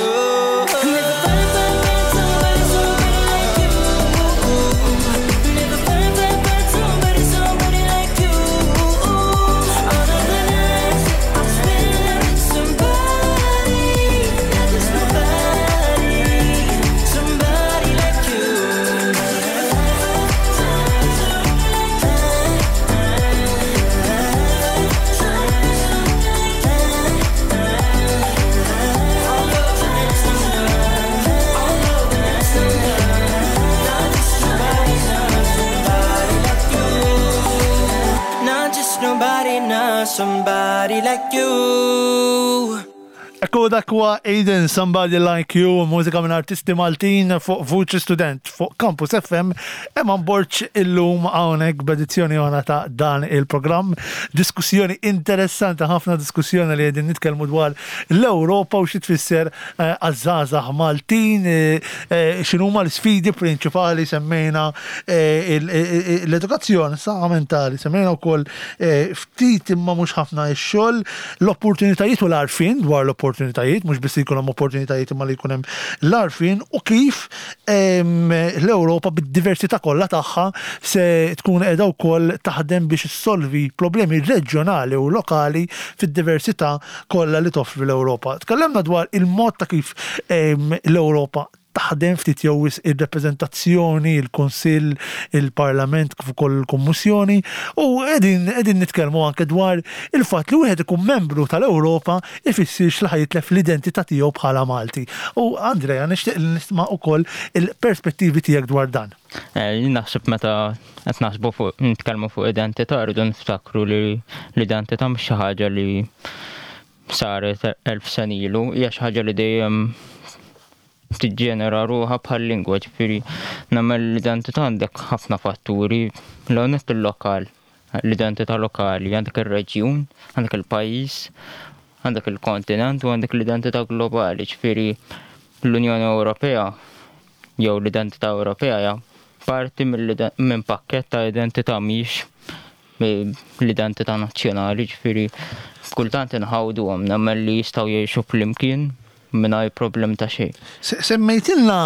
Never find, find, find somebody, somebody like you. Never find, find, find somebody, somebody like you. All of the nights that I spent with somebody, not just nobody, somebody like you. Somebody like you. Ekku, dak huwa Aiden, "Somebody Like You", mużika minn artisti Maltin fuq Vuċi Student fuq Campus F M. Eman Borg illum hawnhekk b'edizzjoni oħra ta' dan il-programm. Diskussjoni interessanti ħafna, diskussjoni li qegħdin nitkellmu dwar l-Ewropa u xi tfisser eh, għaż-żgħażagħ Maltin, eh, eh, x'inhuma l-sfidi prinċipali. Semmejna eh, il- il- l-edukazzjoni, saħħa mentali, semmejna wkoll eh, ftit imma mhux ħafna ix-xogħol, l-opportunitajiet u l-għarfien dwar l-opportunitajiet, mhux biss jkun hemm opportunitajiet imma li jkun hemm l-għarfien u kif em, l-Ewropa bid-diversità kollha tagħha se tkun qiegħda wkoll taħdem biex issolvi problemi reġjonali u lokali fid-diversità kollha li toffri l-Ewropa. Tkellimna dwar il-mod ta' kif em, l-Ewropa taħdem ftit jew wisq, ir-reprezentazzjoni, il-Kunsill, il-Parlament kif ukoll il-Kummissjoni, u qegħdin qegħdin nitkellmu anke dwar il-fatt li wieħed ikun membru tal-Ewropa ifissirx li ħa jitlef l-identità tiegħu bħala Malti. U Andrea, nixtieq li nisma' ukoll il-perspettivi tiegħek dwar dan. Eh, Jien naħseb meta qed naħsbu fuq, nitkellmu fuq identità, rridu niftakru li l-identità mhux xi ħaġa li saret elf sena ilu, hija xi ħaġa li dejjem tiġġenera ruħha bħal lingwa, ġifieri nagħmel l-identità għandek ħafna fatturi, l-għonet il-lokal, l-identità lokali, għandek ir-reġjun, għandek il-pajjiż, għandek il-kontinent u għandek l-identità globali, ġifieri l-Unjoni Ewropea jew l-identità Ewropea hija parti mill- minn pakkett ta' identità, mhix l-identità nazzjonali, ġifieri kultant inħawduhom, nemmen li jistgħu jgħixu flimkien mingħajr problem ta' xejn. Se- Semmejtilna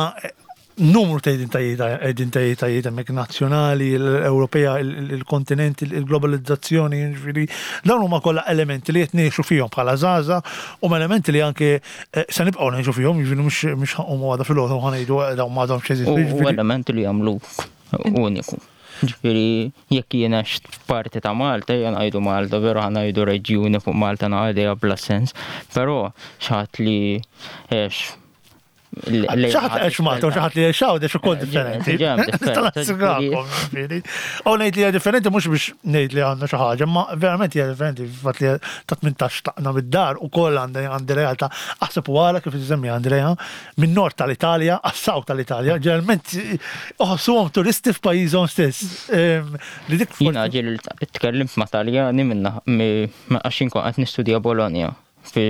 numru ta' identitajiet, identitajiet hemmhekk, nazzjonali, l-Ewropea, il-kontinent, il-globalizzazzjoni, ġifieri dawn huma kollha elementi li qed ngħixu fihom bħala żgħażagħ u elementi li anke eh, se nibqgħu ngħixu fihom, jiġifieri mhux mhux ħa nqumu għada filgħodu ħa ngħidu dawn m'għadhomx jeżistu. U u jiġifieri- elementi li jagħmluk uniku. Ġifieri jekk jiena parti ta' Malta, jien ngħidu Malta, veru ħa ngħidu reġjuni fuq Malta naqgħodha bla sens, però xi ħadd li għex Xi ħadd għex Malta u xi ħadd li għex Għawdex ukoll Eh, differenti. ġem differenti, Tal-assigurakom, ġifieri. U ngħid li hija differenti mhux biex ngħid li għandna xi ħaġa, ma verament hija differenti. Fatt li ta' tmintax tlaqna mid-dar ukoll għandi għandi realtà. Aħseb u għala kif isemmi Andrea, minn nord tal-Italja għas-south tal-Italja, ġeneralment uħossuhom turisti f'pajjiżhom stess. Em, Li dik Jiena ġieli tkellimt ma' Taljani minna għax inkun qed nistudja Bologna fi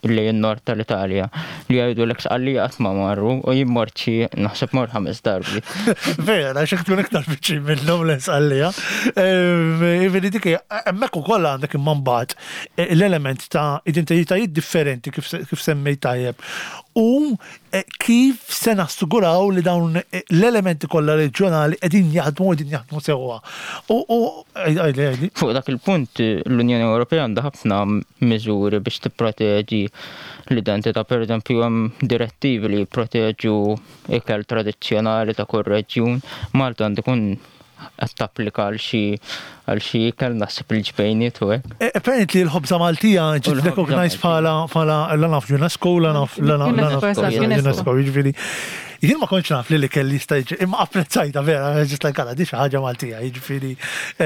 lejn nord tal-Italja li jgħidu l għalli qatt ma marru u jien mort xi, naħseb mort ħames darbi. Vera, xek tkun iktar viċin minnhom l-Isqallija. Ivedi dik hemmhekk ukoll għandek imma mbagħad eh, l-element ta' identitajiet differenti kif kif semmejt tajjeb. U eh, kif se nassiguraw li dawn eh, l-elementi kollha reġjonali qegħdin jaħdmu, qegħdin jaħdmu sewwa? U u għajli għajli. Fuq dak il-punt l-Unjoni Ewropea għandha ħafna miżuri biex tipproteġi l-identità, per eżempju hemm direttivi li jipproteġu ikel tradizzjonali ta' kull reġjun. Malta għandu jkun qed tapplika għal xi għal xi ikel, naħseb il-ġbejniet u hekk. Eh, Apparently l-ħobza Maltija ġiet U l-ħobza recognized bħala bħala la naf UNESCO, la naf la naf la naf UNESCO, eżatt, UNESCO, UNESCO. Jiġifieri jien ma kontx naf li li kelli jista' jiġi, imma apprezzajta vera, just like għala, di xi ħaġa Maltija, jiġifieri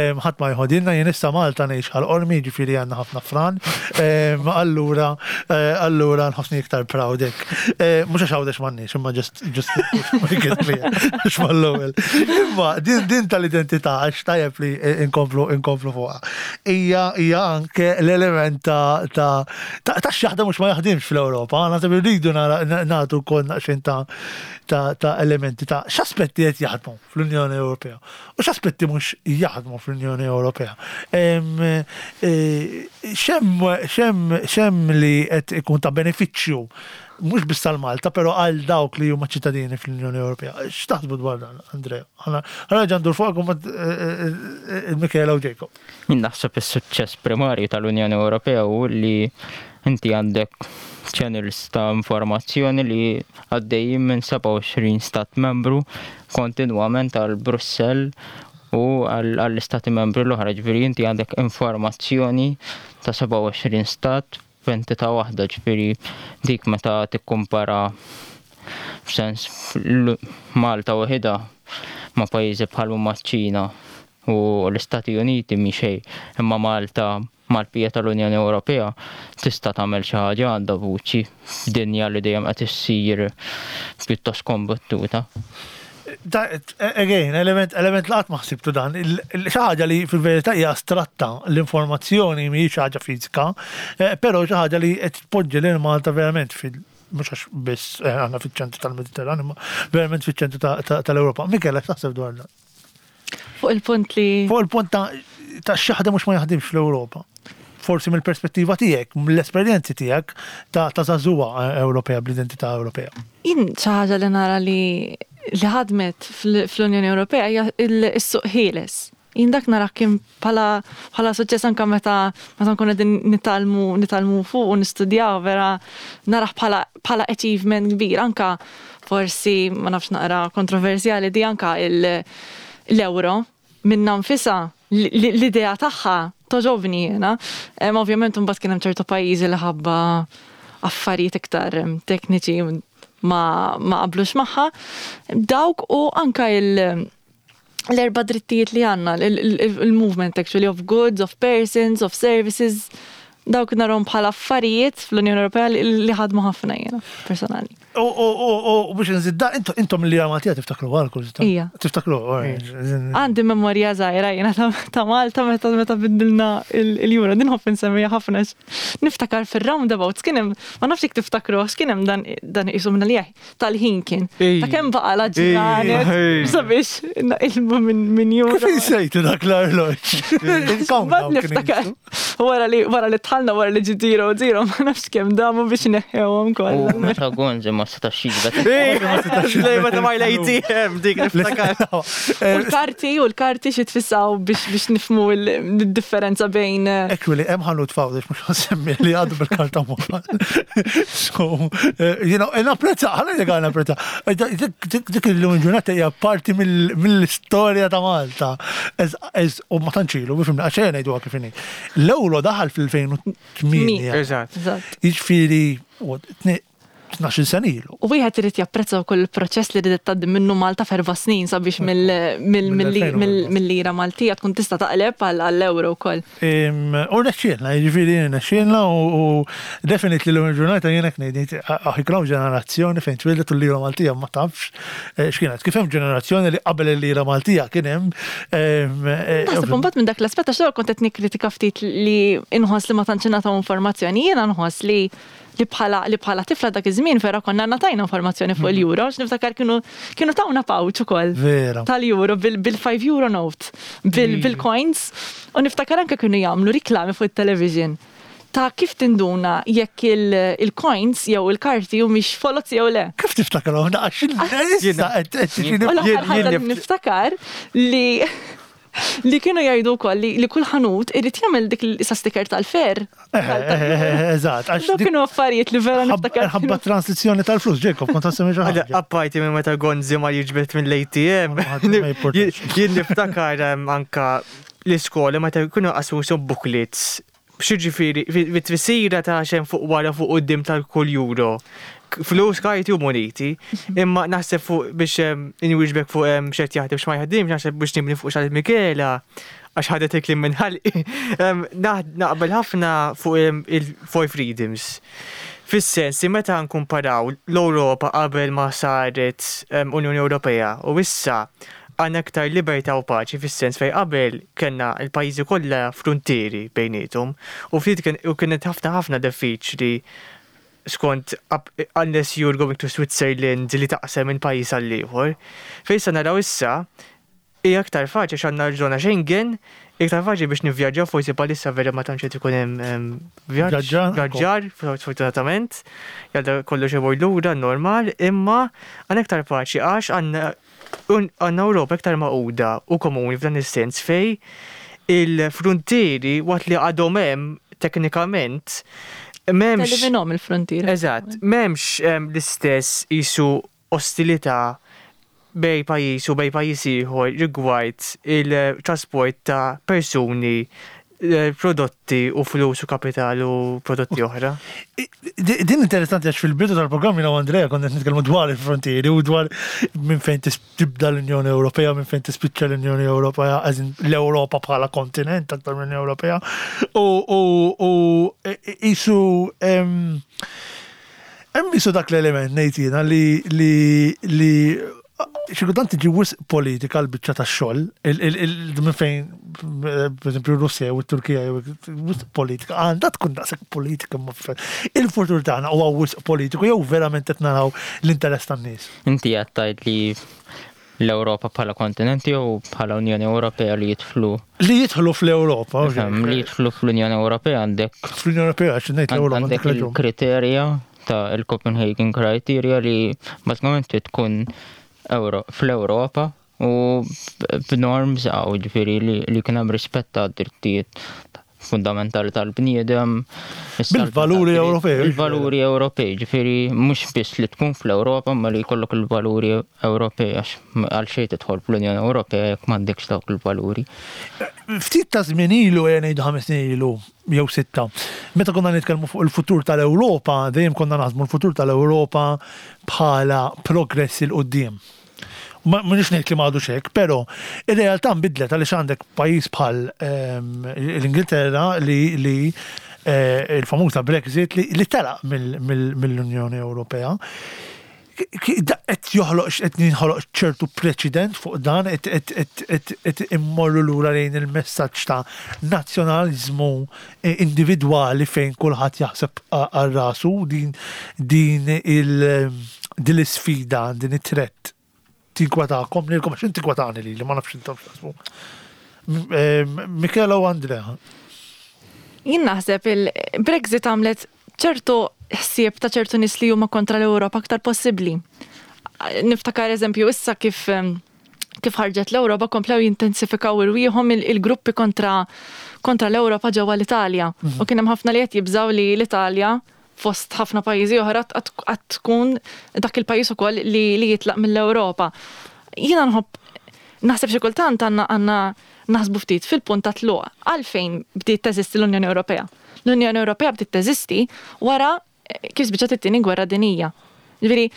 em, ħadd ma jħodilna. Jien issa Malta ngħix Ħal Qormi, jiġifieri għandna ħafna fran, em, allura eh, allura nħossni iktar proud hekk. Eh, Mhux għax Għawdex m'għandniex, imma just just make it clear, għax mal-ewwel. Imma din din tal-identità, għax tajjeb li inkomplu inkomplu fuqha. Hija hija anke l-element ta' ta' ta' ta' x'jaħdem mhux ma jaħdimx fl-Ewropa. Naħseb irridu nara- nagħtu wkoll naqxin ta' ta' ta' elementi ta' x'aspetti qed jaħdmu fl-Unjoni Ewropea u x'aspetti mhux jaħdmu fl-Unjoni Ewropea. Em, eh, X'hemm x'hemm x'hemm li qed ikun ta' benefiċċju mhux biss tal-Malta, però għal dawk li huma ċittadini fl-Unjoni Ewropea? X'taħsbu dwar dan, Andrea? Ħa nerġa' ndur fuq il-Michela u Jacob. Jien naħseb is-suċċess primarju tal-Unjoni Ewropea hu li inti għandek channels ta' informazzjoni li għaddejjin minn sebgħa u għoxrin stat membru kontinwament għal Brussell u għall-istati membri l-oħra, ġifieri inti għandek informazzjoni ta' sebgħa u għoxrin stat f'entità waħda, ġifieri dik meta tikkumpara f'sens l- Malta waħedha ma' pajjiżi bħal huma ċ-Ċina u l-Istati Uniti mi xejn, imma Malta Mal-bqija tal-Unjoni Ewropea tista' tagħmel xi ħaġa, għandha vuċi f'dinja li dejjem qed issir pjuttost kombattuta. Da, again, element, element li qatt ma ħsibtu dan, il- il- xi ħaġa li fil-verità hija astratta, l-informazzjoni mhijiex ħaġa fiżika, eh, però xi ħaġa li qed tpoġġi lil Malta verament fil mhux għax biss eh, għandna fiċ-ċentru tal-Mediterran, imma verament fiċ-ċentru ta- ta- tal-Ewropa. Michela, x'taħseb dwar dan? Fuq il-punt li Fuq il-punt ta' ta' x'jaħdem mhux ma jaħdimx fl-Ewropa. Forsi mill-perspettiva tiegħek, mill-esperjenzi tiegħek ta' ta' żagħżugħa eh, Ewropea bl-identità Ewropea. Jien xi ħaġa li nara li li ħadmet fl- fl-Unjoni Ewropea hija il- is-suq ħieles. Jien dak nara kien bħala bħala suċċess anke meta meta nkunu qegħdin nitgħallmu nitgħallmu fuq u nistudjaw, vera narah bħala bħala achievement kbir, anka forsi ma nafx, naqra kontroversjali di, anka il- l-euro minna nfisha l-idea tagħha togħġobni jiena. Em, Ovvjament mbagħad kien hemm ċertu pajjiżi li ħabba affarijiet iktar em, tekniċi ma, ma qablux magħha. Dawk u anka il- l-erba drittijiet li għandna, il-movement actually of goods, of persons, of services, dawk narahom bħala affarijiet fl-Unjoni Ewropea li li ħadmu ħafna jiena, personali. U u u u biex nżid da, intom intom li Maltija tiftakru għal kull Ija. Tiftakru. Għandi memorja żgħira jiena ta' ta' Malta meta meta biddilna il-euro, din nħobb insemmija ħafna. Niftakar fil-roundabouts kien hemm, ma nafx jekk tiftakru, kien hemm dan dan isu minna li tal-ħin kien. Ej. Ta' kemm baqa la ġranet Ej. sabiex naqilbu minn minn euro. Kif insejtu dak l-arloġġ? Bad niftakar. Wara li wara li tħallna, wara li ġi zero zero, ma nafx kemm damu biex neħħewhom U kollha. meta Gonzi ma setax jiġbed. Lej, meta ma l-A T M dik niftakar. U l-karti, u l-karti xi tfissaw biex biex nifhmu il-differenza bejn eh, Actually, hemm ħanut fawdex, mhux nsemmi, li għadu bil-karta moħħa. So, eh, you know, napprezza, ħalla dik napprezza. Eh, Dik dik il-lum ġurnata hija parti mill- mill-istorja ta' Malta. Ez- ez- U ma tantx ilu, bifimna, għax ejja ngħiduha kif inhi. L-euro daħal fil-elfejn u tmienja. Eżatt. Eżatt. Jiġifieri, u tne- tnax-il sena ilu. U wieħed irid japprezza wkoll il-proċess li ridet tgħaddi minnu Malta f'erba' snin sabiex mill- mill- mill- mill- mill-lira Maltija tkun tista' taqleb għall-euro wkoll. Em, U rnexxielna, jiġifieri rnexxielna u u definitely l-lum il-ġurnata jiena ngħid aħiklaw ġenerazzjoni fejn twildet u l-lira Maltija ma tafx eh, x'kienet. Kif hemm ġenerazzjoni li qabel il-lira Maltija kien hemm em, eh, Naħseb imbagħad minn dak l-aspett, għax kont qed nikkritika ftit li inħoss li ma tantx ingħataw informazzjoni, jiena nħoss li li bħala li bħala tifla dak iż-żmien vera konna ngħatajna informazzjoni fuq il-euro, għax niftakar kienu kienu tawna pouch ukoll Vera. tal-euro bil-five euro note, bil- bil-coins, u niftakar anke kienu jagħmlu riklami fuq il-television ta' kif tinduna jekk il- il-coins jew il-karti u mhix foloz jew le. Kif tiftakarhom? Għax issa qed qed tiġini- U l-aħħar Jien- ħaġa jien li nift- niftakar li li kienu jgħidu wkoll li, li kull ħanut irid jagħmel dik l-isa sticker tal-fer. Eh, eh, eh, Eżatt, għax Dawk dik kienu affarijiet li vera niftakar. ħabba transizzjoni tal-flus, Jacob, kont għassemmi xi Għada, ħaġa. apparti minn meta Gonzi ma jiġbed mill-A T M, Ma jimportax. jien niftakar em, anka l-iskola meta kienu qasmu sub booklets. X'jiġifieri, bit-tfissira ta' xem fuq wara, fuq quddiem tal-kull euro. K- Flus, karti u moneti, imma naħseb fuq biex em, inwieġbek fuq em, x'qed jaħdem, x'ma jaħdimx, naħseb biex nibni fuq x'qalet Michela, għax ħadet il-kliem minn ħalqi. Em, naħ- Naqbel ħafna fuq em, il-Four Freedoms. Fis-sens li meta nkumparaw l-Ewropa qabel ma saret em, Unjoni Ewropea u issa, għandna aktar libertà u paċi, fis-sens fej qabel kellna l-pajjiżi kollha frontieri bejniethom u ftit kien u kienet ħafna ħafna diffiċli skont up- unless you're going to Switzerland li taqsem minn pajjiż għal ieħor. Fejn sa naraw issa hija aktar faċli għax għandna l-żona Schengen, iktar faċli biex nivvjaġġaw, forsi bħalissa vera ma tantx qed ikun hemm em, vjaġġ, Vjaġġar, vjaġġar, sfortunatament, jgħadda kollox imur lura normal, imma għandna iktar paċi għax għandna un- għandna Ewropa iktar magħquda u komuni f'dan is-sens fej il-frontieri, waqt li għadhom hemm teknikament, m'hemmx Teliminom il-frontier. Eżatt, m'hemmx em, l-istess isu ostilità bej pajjiż u bej pajjiż ieħor rigward il-trasport ta' persuni, eh, prodotti u flus u kapital u prodotti oħra. Di- Din interessanti għax fil-bidu tal-programm jiena u Andrea konna qed nitkellmu dwar il-frontieri u dwar minn fejn tis- tibda l-Unjoni Ewropea, minn fejn tispiċċa l-Unjoni Ewropea, as in l-Ewropa bħala kontinent aktar mill-Unjoni Ewropea. U u u isu em, hemm isu dak l-element ngħid jiena li li li xi kultant tiġi wisq politika l-biċċa tax-xogħol, il- il- il- minn fejn per eżempju Russja u t-Turkija wisq politika, għandha tkun daqshekk politika ma f- il-futur tagħna huwa wisq politiku jew verament qed naraw l-interess tan-nies. Inti qed tgħid li l-Ewropa bħala kontinent jew bħala Unjoni Ewropea li jidħlu Li jidħlu fl-Ewropa, Fhem, li jidħlu fl-Unjoni Ewropea għandek fl-Unjoni Ewropea għax ngħid l-Ewropa għandek għandek raġun. il-kriterja ta' il-Copenhagen Criteria li bażikament trid tkun Euro fl-Ewropa u b'norms għaw ġifieri li, li kien hemm rispett ta' drittijiet fundamentali tal-bniedem. is-saltna Bil-valuri tad-dritt, Ewropej, Il-valuri Ewropej, ġifieri mhux biss li tkun fl-Ewropa, ma li jkollok il-valuri Ewropej għax għal xejn tidħol fl-Unjoni Ewropea jekk m'għandekx dawk il-valuri. Ftit ta' żmien ilu, ejja ngħidu ħames snin ilu, jew sitta, meta konna nitkellmu fuq il-futur tal-Ewropa, dejjem konna naħsbu l-futur tal-Ewropa bħala progress 'il quddiem. Ma mhux ngħid li m'għadux hekk, però ir-realtà nbidlet għaliex għandek pajjiż bħal ehm, l-Ingilterra li li eh, il-famuża Brexit li, li telaq mill- mill- mill-Unjoni Ewropea. Ki- da- Qed joħloq qed jinħoloq ċertu preċedent fuq dan qed qed qed qed qed immorru lura lejn il-messaġġ ta' nazzjonaliżmu eh, individwali fejn kulħadd jaħseb a- għal rasu din din il din l-isfida, din it-threat tinkwetakom lilkom għax tinkwetani li li ma nafx intom x'taħsbu. M- eh, Michela u Andrea. Jien naħseb il-Brexit għamlet ċertu ħsieb ta' ċertu nies li huma kontra l-Ewropa aktar possibbli. Niftakar eżempju issa kif em, kif ħarġet l-Ewropa komplew jintensifikaw irwieħhom il- il-gruppi kontra kontra l-Ewropa ġewwa l-Italja. U kien hemm ħafna li qed jibżaw li l-Italja fost ħafna pajjiżi oħra għad tkun dak il-pajjiż ukoll li, li jitlaq mill-Ewropa. Jiena nħobb naħseb xi kultant għandna għandna naħsbu ftit fil-punt ta' tluq għalfejn bdiet teżisti l-Unjoni Ewropea. L-Unjoni Ewropea bdiet teżisti wara eh, kif spiċċat it-tieni gwerra dinija. Ġifieri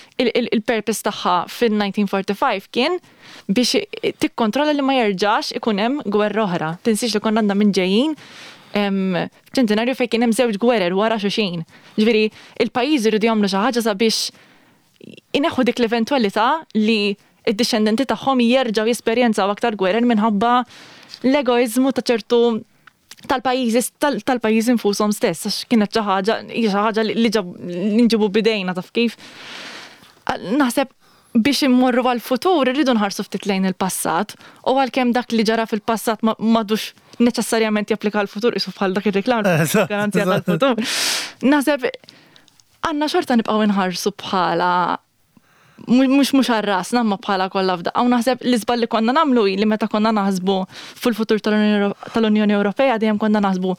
il-purpose tagħha fil-elf disa' mija u erbgħa u erbgħin kien biex tikkontrolla li ma jerġax ikun hemm gwerra oħra. Tinsiex li konna għandna minn ġejjin em, ċentinarju fejn kien hemm żewġ gwerer wara xulxin. Ġifieri il-pajjiżi jridu jagħmlu xi ħaġa sabiex ineħħu dik l-eventualità li id-discendenti tagħhom jerġgħu jesperjenzaw aktar gwerer minħabba l-egoizmu ta' ċertu tal-pajjiżi tal- tal-pajjiżi infushom stess, għax kienet xi ħaġa hija xi ħaġa li li ġab- li nġibu bidejna taf kif. Naħseb biex immorru għal-futur irridu nħarsu ftit lejn il-passat u għalkemm dak li ġara fil-passat ma- m'għadux neċessarjament japplika għal-futur isu bħal dak ir-reklam Eżatt, garanzija eżatt. tal-futur. Naħseb għandna xorta nibqgħu nħarsu bħala mhux mhux għal rasna ma bħala kollha f'daqqa. U naħseb l-iżball li konna nagħmlu hi li meta konna naħsbu fil-futur tal-Unjoni Euro- tal-Unjoni Ewropea dejjem konna naħsbu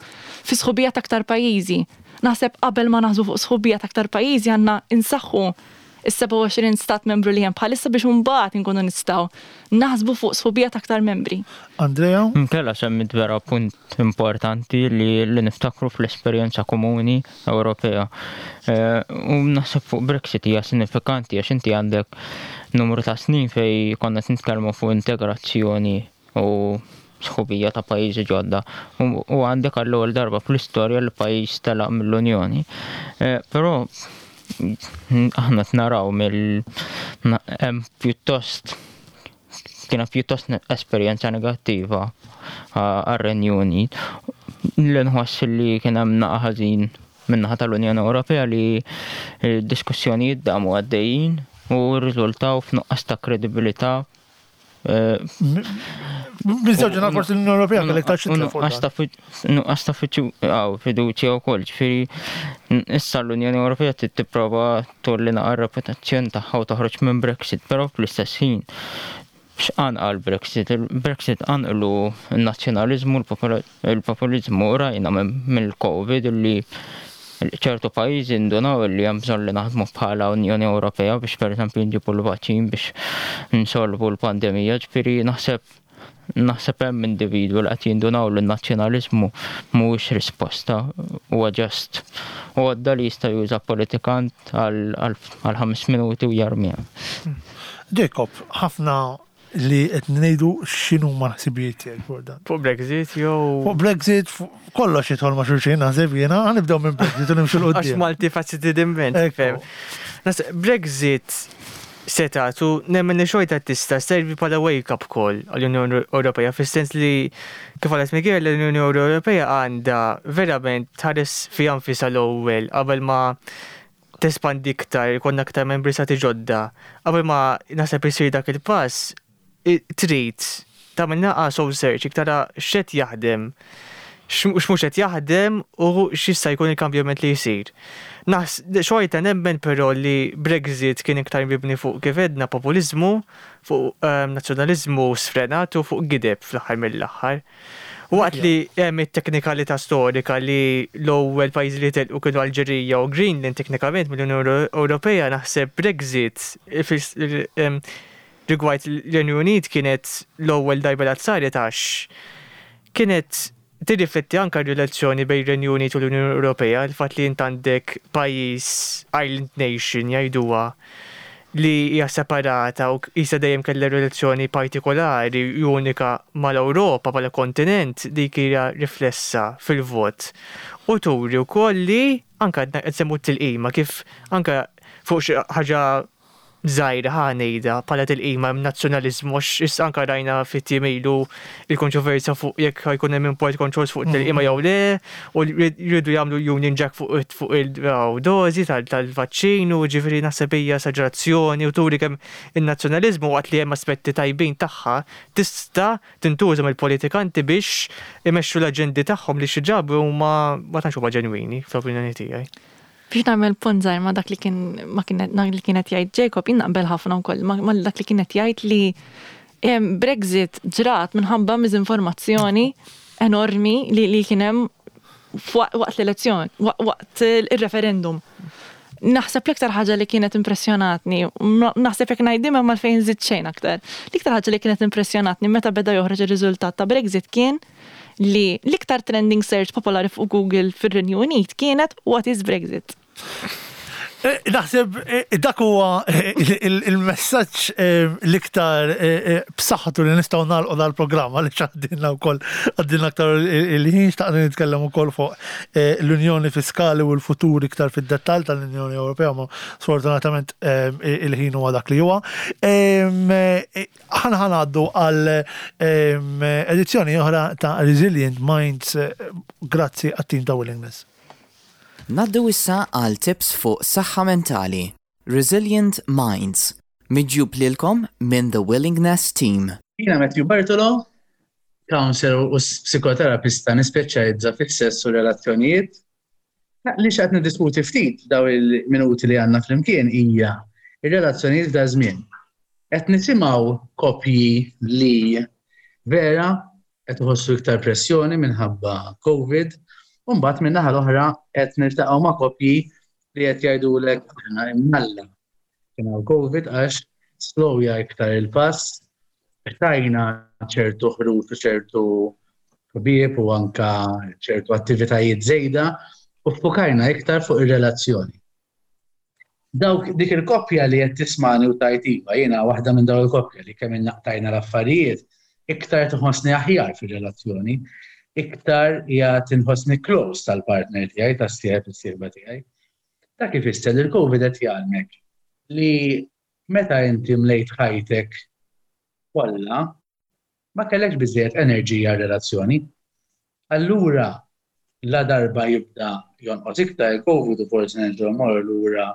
fi sħubija ta' aktar pajjiżi. Naħseb qabel ma naħsbu fuq sħubija ta' aktar pajjiżi għandna insaħħu is-sebgħa u għoxrin stat membru li hemm bħalissa biex mbagħad inkunu nistgħu naħsbu fuq sħubija ta' aktar membri. Andrea? Michela semmit vera punt importanti li, li niftakru fl-esperjenza komuni Ewropea. Eh, U naħseb fuq Brexit hija sinifikanti għax inti għandek numru ta' snin fej konna nitkellmu fuq integrazzjoni u sħubija ta' pajjiżi ġodda. U u għandek għall-ewwel darba fl-istorja li pajjiż telaq mill-Unjoni. Eh, Però aħna naraw mill na- hemm pjuttost kienet pjuttost ne- esperjenza negattiva għar-Renju Unit. Li nħoss li kien hemm naqa ħażin min-naħa tal-Unjoni Ewropea li diskussjonijiet damu għaddejjin u rriżultaw f'nuqqas ta' kredibilità eh, Biżewġ forsi l-Unjoni Ewropea kellek ta' xi Nuqqas ta' fi- nuqqas ta' fiċu- għaw, fiduċja wkoll, ġifieri n- issa l-Unjoni Ewropea trid tipprova tolli naqra reputazzjoni tagħha u toħroġ minn Brexit, però fl-istess ħin x'qanqal Brexit? Il-Brexit qanqlu n-nazzjonaliżmu, il-populizmu rajna minn- mill-Covid li ċertu pajjiżi indunaw li hemm bżonn li naħdmu bħala Unjoni Ewropea biex pereżempju nġibu l-vaċċin biex nsolvu l-pandemija, ġifieri naħseb Naħseb hemm individwu li qed jindunaw li n-nazzjonaliżmu mhuwiex risposta, huwa just għodda li jista' juża politikant għal ħames minuti u jarmiha. Jacob, ħafna li qed ngħidu, x'inhu ma ħsibijiet tiegħek fuq dan? Fuq Brexit jew? Fuq Brexit, fuq kollox jidħol ma' xulxin, naħseb jiena, ħa nibdew minn Brexit u nimxu 'l Għax quddiem. multifaceted immens. Ekku. Fem. Nas- Brexit setatu nemmen li xorta tista' servi bħala wake-up call għall-Unjoni Ewropea, fis-sens li, kif qalet Miguel, l-Unjoni Ewropea għandha verament tħares fiha nfisha l-ewwel qabel ma tespandi iktar, jkollna aktar membri stati ġodda. Qabel ma naħseb isir dak il-pass, i- trid tagħmel naqa soul search, tara x'qed jaħdem, x'mhux qed jaħdem u x'jista' jkun il-kambjament li jsir. Nas, xorta nemmen però li Brexit kien iktar mibni fuq, kif għedna, populizmu, fuq um, nazzjonalizmu sfrenat u fuq gideb fl-aħħar mill-aħħar. Waqt li hemm it-teknikalità storika li l-ewwel pajjiżi li telqu kienu Alġerija u Greenland teknikament mill-Unjoni Ewropea, naħseb Brexit fis- em, rigward l-Renju Unit kienet l-ewwel darba li saret għax kienet tirrifletti anka r-relazzjoni bejn ir-Renju Unit u l-Unjoni Ewropea, il-fatt li int għandek pajjiż, island nation jgħiduha, li hija separata u jisa dejjem kellha relazzjoni partikolari unika mal-Ewropa bħala kontinent, dik hija riflessa fil-vot. U turi wkoll li anka qed semmu t-tilqima, kif anka fuq xi ħaġa żgħira, ħa ngħidha, bħala tilqima hemm nazzjonaliżmu, għax issa anka rajna fit-tim ilu il-kontroversja fuq jekk ħa jkun hemm import controls fuq tilqima jew le, u jridu jagħmlu Union Jack fuq fuq il-dożi tal-vaċċin, u ġifieri naħseb hija esaġerazzjoni u turi kemm in-nazzjonaliżmu, waqt li hemm aspetti tajbin tagħha, tista' tintuża mill-politikanti biex imexxu l-aġendi tagħhom li xi ġabu huma ma tantx huma ġenwini, fl-opinjoni tiegħi. Biex nagħmel punt żgħir ma' dak li kien ma kienet li kienet jgħid Jacob, jien naqbel ħafna wkoll ma ma dak li kienet jgħid li em, Brexit ġrat minħabba miżinformazzjoni enormi li li kien hemm waqt l-elezzjoni, waqt il-referendum. Naħseb l-iktar ħaġa li kienet impressjonatni, naħseb jekk ngħidha ma fejn żid xejn aktar. L-iktar ħaġa li kienet impressjonatni meta beda joħroġ ir-riżultat ta' Brexit kien li l-iktar trending search popolari fuq Google fir-Renju Unit kienet "What is Brexit?" Eh, Naħseb eh, dak huwa eh, il- il-messaġġ l-iktar b'saħħtu li nistgħu nagħlqu dal-programm, għaliex għaddinna wkoll għaddinna aktar il-ħin. Xtaqna nitkellem ukoll fuq l-Unjoni Fiskali u l-futur iktar fid-dettall tal-Unjoni Ewropea, ma sfortunatament il-ħin huwa dak li huwa. Ħa ħa ngħaddu għal edizzjoni oħra ta' Resilient Minds, grazzi għat-tim ta' Willingness. Ngħaddu issa għal tips fuq saħħa mentali. Resilient Minds. Miġjub lilkom minn The Willingness Team. Jiena Matthew Bartolo, counselor u psikoterapista nispeċjalizza fis-sess u relazzjonijiet. Li xtaqt niddiskuti ftit daw il-minuti li għandna flimkien hija ir-relazzjonijiet da żmien. Qed nisimgħu koppji li vera qed iħossu iktar pressjoni minħabba Covid, u mbagħad minn naħa l-oħra qed niltaqgħu ma' koppji li qed jgħidulek aħna imnalla kien hawn Covid għax slowja iktar il-pass, tajna ċertu ħruġ u ċertu ħbieb u anka ċertu attivitajiet żejda u fokajna iktar fuq ir-relazzjoni. Dawk dik il-koppja li qed tismani u tgħid iva, jiena waħda minn dawn il-koppja li kemm naqtajna l-affarijiet, iktar tħossni aħjar fir-relazzjoni, iktar hija tinħossni close tal-partner tiegħi, tas-sieħeb, is-sieħba tiegħi. Dak ifisser li l-Covid qed jgħallmek li meta inti mlejt ħajtek kollha ma kellekx biżejjed enerġija relazzjoni. Allura la darba jibda jonqos iktar il-Covid u forsi nerġgħu mmorru lura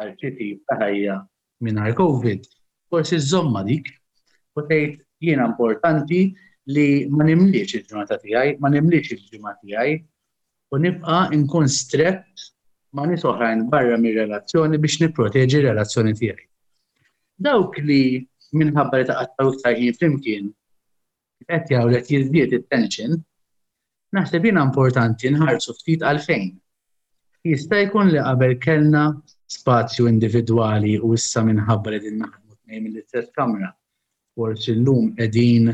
għal xi tip ta' ħajja mingħajr Covid, forsi żżommha dik u tgħid jiena importanti li ma nimliex il-ġurnata tiegħi, ma nimliex il-ġimgħa tiegħi u nibqa' nkun strett ma' nies oħrajn barra mir-relazzjoni biex nipproteġi r-relazzjoni tiegħi. Dawk li minħabba li taqattaw iktar ħin flimkien qed jgħu li qed jiżdied it-tension, naħseb jiena importanti nħarsu ftit għalfejn. Jista' jkun li qabel kellna spazju individwali u issa minħabba li din naħdmu tnejn mill-istess kamra. Forsi llum qegħdin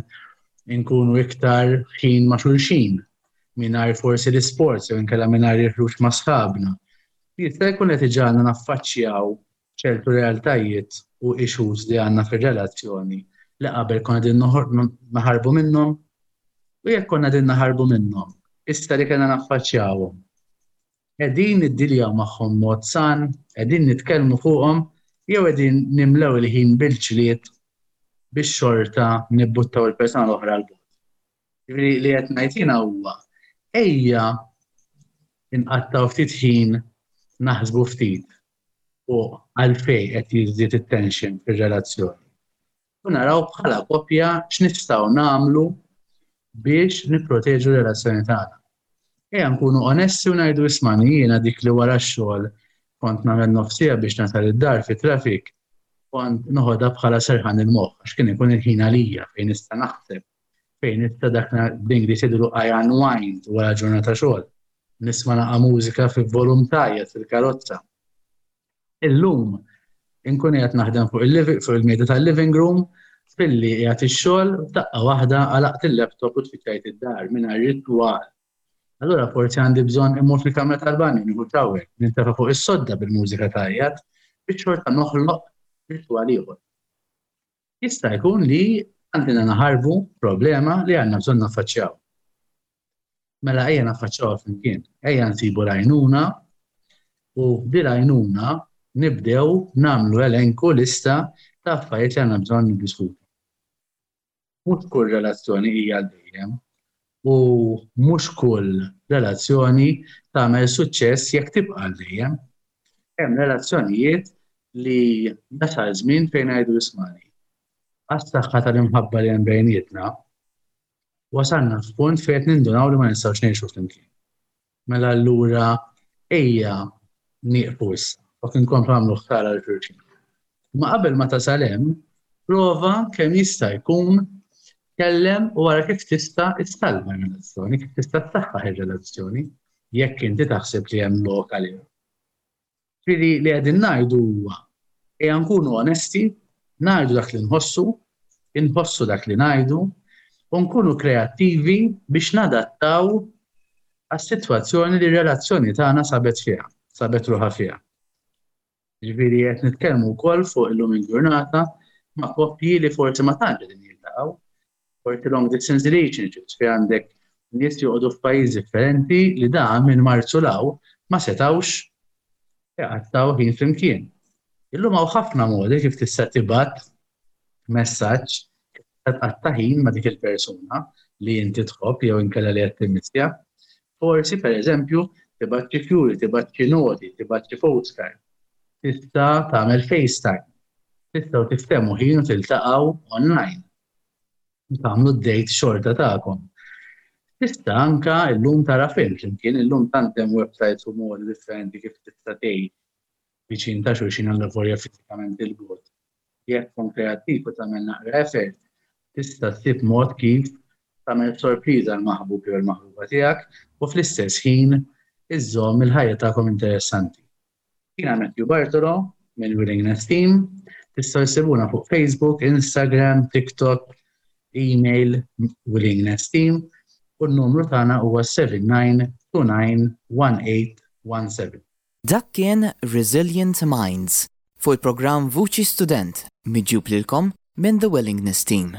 Inkunu iktar ħin ma' xulxin, mingħajr forsi l-isports jew inkella mingħajr il-ħruġ ma' sħabna. Jista' jkun qed iġagħalna naffaċċjaw ċertu realtajiet u issues li għandna fir-relazzjoni li qabel konna din naħarbu minnhom u jekk konna din naħarbu minnhom, issa li kellna naffaċċjawhom. Qegħdin niddiljaw magħhom mod san, qegħdin nitkellmu fuqhom jew qegħdin nimlew il-ħin bil-ġlied biex xorta nibbuttaw il-persuna l-oħra 'l bogħod. Jiġifieri li qed ngħid jiena huwa ejja inqattgħu ftit ħin naħsbu ftit fuq għalfejn qed jiżdied it-tension fir-relazzjoni. U naraw bħala koppja x'nistgħu nagħmlu biex nipproteġu r-relazzjoni tagħna. Ejja nkunu onesti u ngħidu ismani jiena dik li wara x-xogħol kont nagħmel nofs siegħa biex nasal id-dar fit-traffic, kont noħodha bħala serħan il-moħħ għax kien ikun il-ħin għalija fejn nista' naħseb, fejn nista' dak bl-Ingliż jgħidulu I unwind wara ġurnata xogħol. Nisma' naqa' mużika fi volum tajjeb fil-karozza. Illum inkun qiegħed naħdem fuq il-living fuq il-mejda tal-living room filli qiegħed ix-xogħol daqqa waħda għalaqt il-laptop u tfittxajt id-dar mingħajr ritwal. Allura forsi għandi bżonn immur fil-kamra tal-banju nieħu shower, nintefa' fuq is-sodda bil-mużika tgħajjat biex xorta noħloq ritwal ieħor. Jista' jkun li għandna naħarbu problema li għandna bżonn naffaċċjaw. Mela ejja naffaċċjawha flimkien, ejja nsibu l-għajnuna u bil-għajnuna nibdew nagħmlu elenku lista ta' affarijiet li għandna bżonn niddiskutu. Mhux kull relazzjoni hija għal dejjem u mhux kull relazzjoni tagħmel suċċess jekk tibqa' għal dejjem. Hemm relazzjonijiet li jasal żmien fejn ngħidu ismani. Għas-saħħa tal-imħabba li hemm bejnietna, wasalna f'punt fejn qed nindunaw li ma nistgħux ngħixu flimkien. Mela allura ejja nieqfu issa, u inkomplu nagħmlu ħsara lil xulxin. Ma qabel ma tasal hemm, prova kemm jista' jkun tkellem u wara kif tista' issalva r-relazzjoni, kif tista' ssaħħaħ ir-relazzjoni, jekk inti taħseb li hemm lok għaliha. Ġifieri li qegħdin ngħidu huwa ejja nkunu onesti, ngħidu dak li nħossu, inħossu dak li ngħidu, u nkunu kreattivi biex nadattaw għas-sitwazzjoni li r-relazzjoni tagħna sabet fiha, sabet ruħha fiha. Ġifieri qed nitkellmu wkoll fuq illum il-ġurnata ma' koppji li forsi ma tantx qegħdin jiltaqgħu, forsi long distance relationships fejn għandek nies joqogħdu f'pajjiż differenti li da minn Marzu 'l hawn ma setgħux iqattgħu ħin flimkien. Illum hawn ħafna modi kif tista' tibgħat messaġġ kif tista' tqatta' ħin ma' dik il-persuna li inti tħobb jew inkella li qed timmissja. Forsi pereżempju tibgħat xi fjuri, tibgħat xi noti, tibgħat xi postcard. Tista' tagħmel FaceTime. Tistgħu tiftehmu ħin u tiltaqgħu online. Tagħmlu d-date xorta tagħkom. Tista' anka illum tara film flimkien, illum tant hemm websites u modi differenti kif tista' tgħid viċin ta' xulxin għal fiżikament 'il bogħod. Jekk tkun kreattiv u tagħmel naqra effort, tista' ssib mod kif tagħmel sorpriża l-maħbub jew il-maħbuba tiegħek u fl-istess ħin iżżomm il-ħajja tagħkom interessanti. Jiena Matthew Bartolo minn Willingness Team, tistgħu ssibuna fuq Facebook, Instagram, TikTok, email Willingness Team u n-numru tagħna huwa seven nine two nine one eight one seven. Dak kien Resilient Minds fuq il-programm Vuċi Student miġjub lilkom minn The Willingness Team.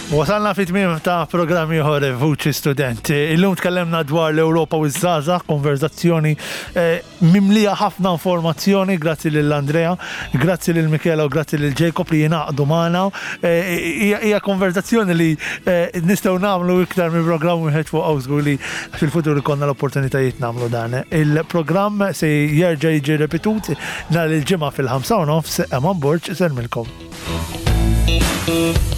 Wasalna fi tmiem ta' programm ieħor Vuċi Student. Illum tkellimna dwar l-Ewropa u ż-żgħażagħ, konverzazzjoni eh, mimlija ħafna informazzjoni, grazzi lil Andrea, grazzi lil Michela u grazzi lil Jacob li jingħaqdu magħna. Eh, Hija hija konverzazzjoni li eh, nistgħu nagħmlu iktar minn programm wieħed fuq żgur li fil-futur ikollna l-opportunitajiet nagħmlu dan. Il-programm se jerġa' jiġi ripetut nhar il-Ġimgħa fil-ħamsa u nofs. Eman Borg isellmilkom. Thank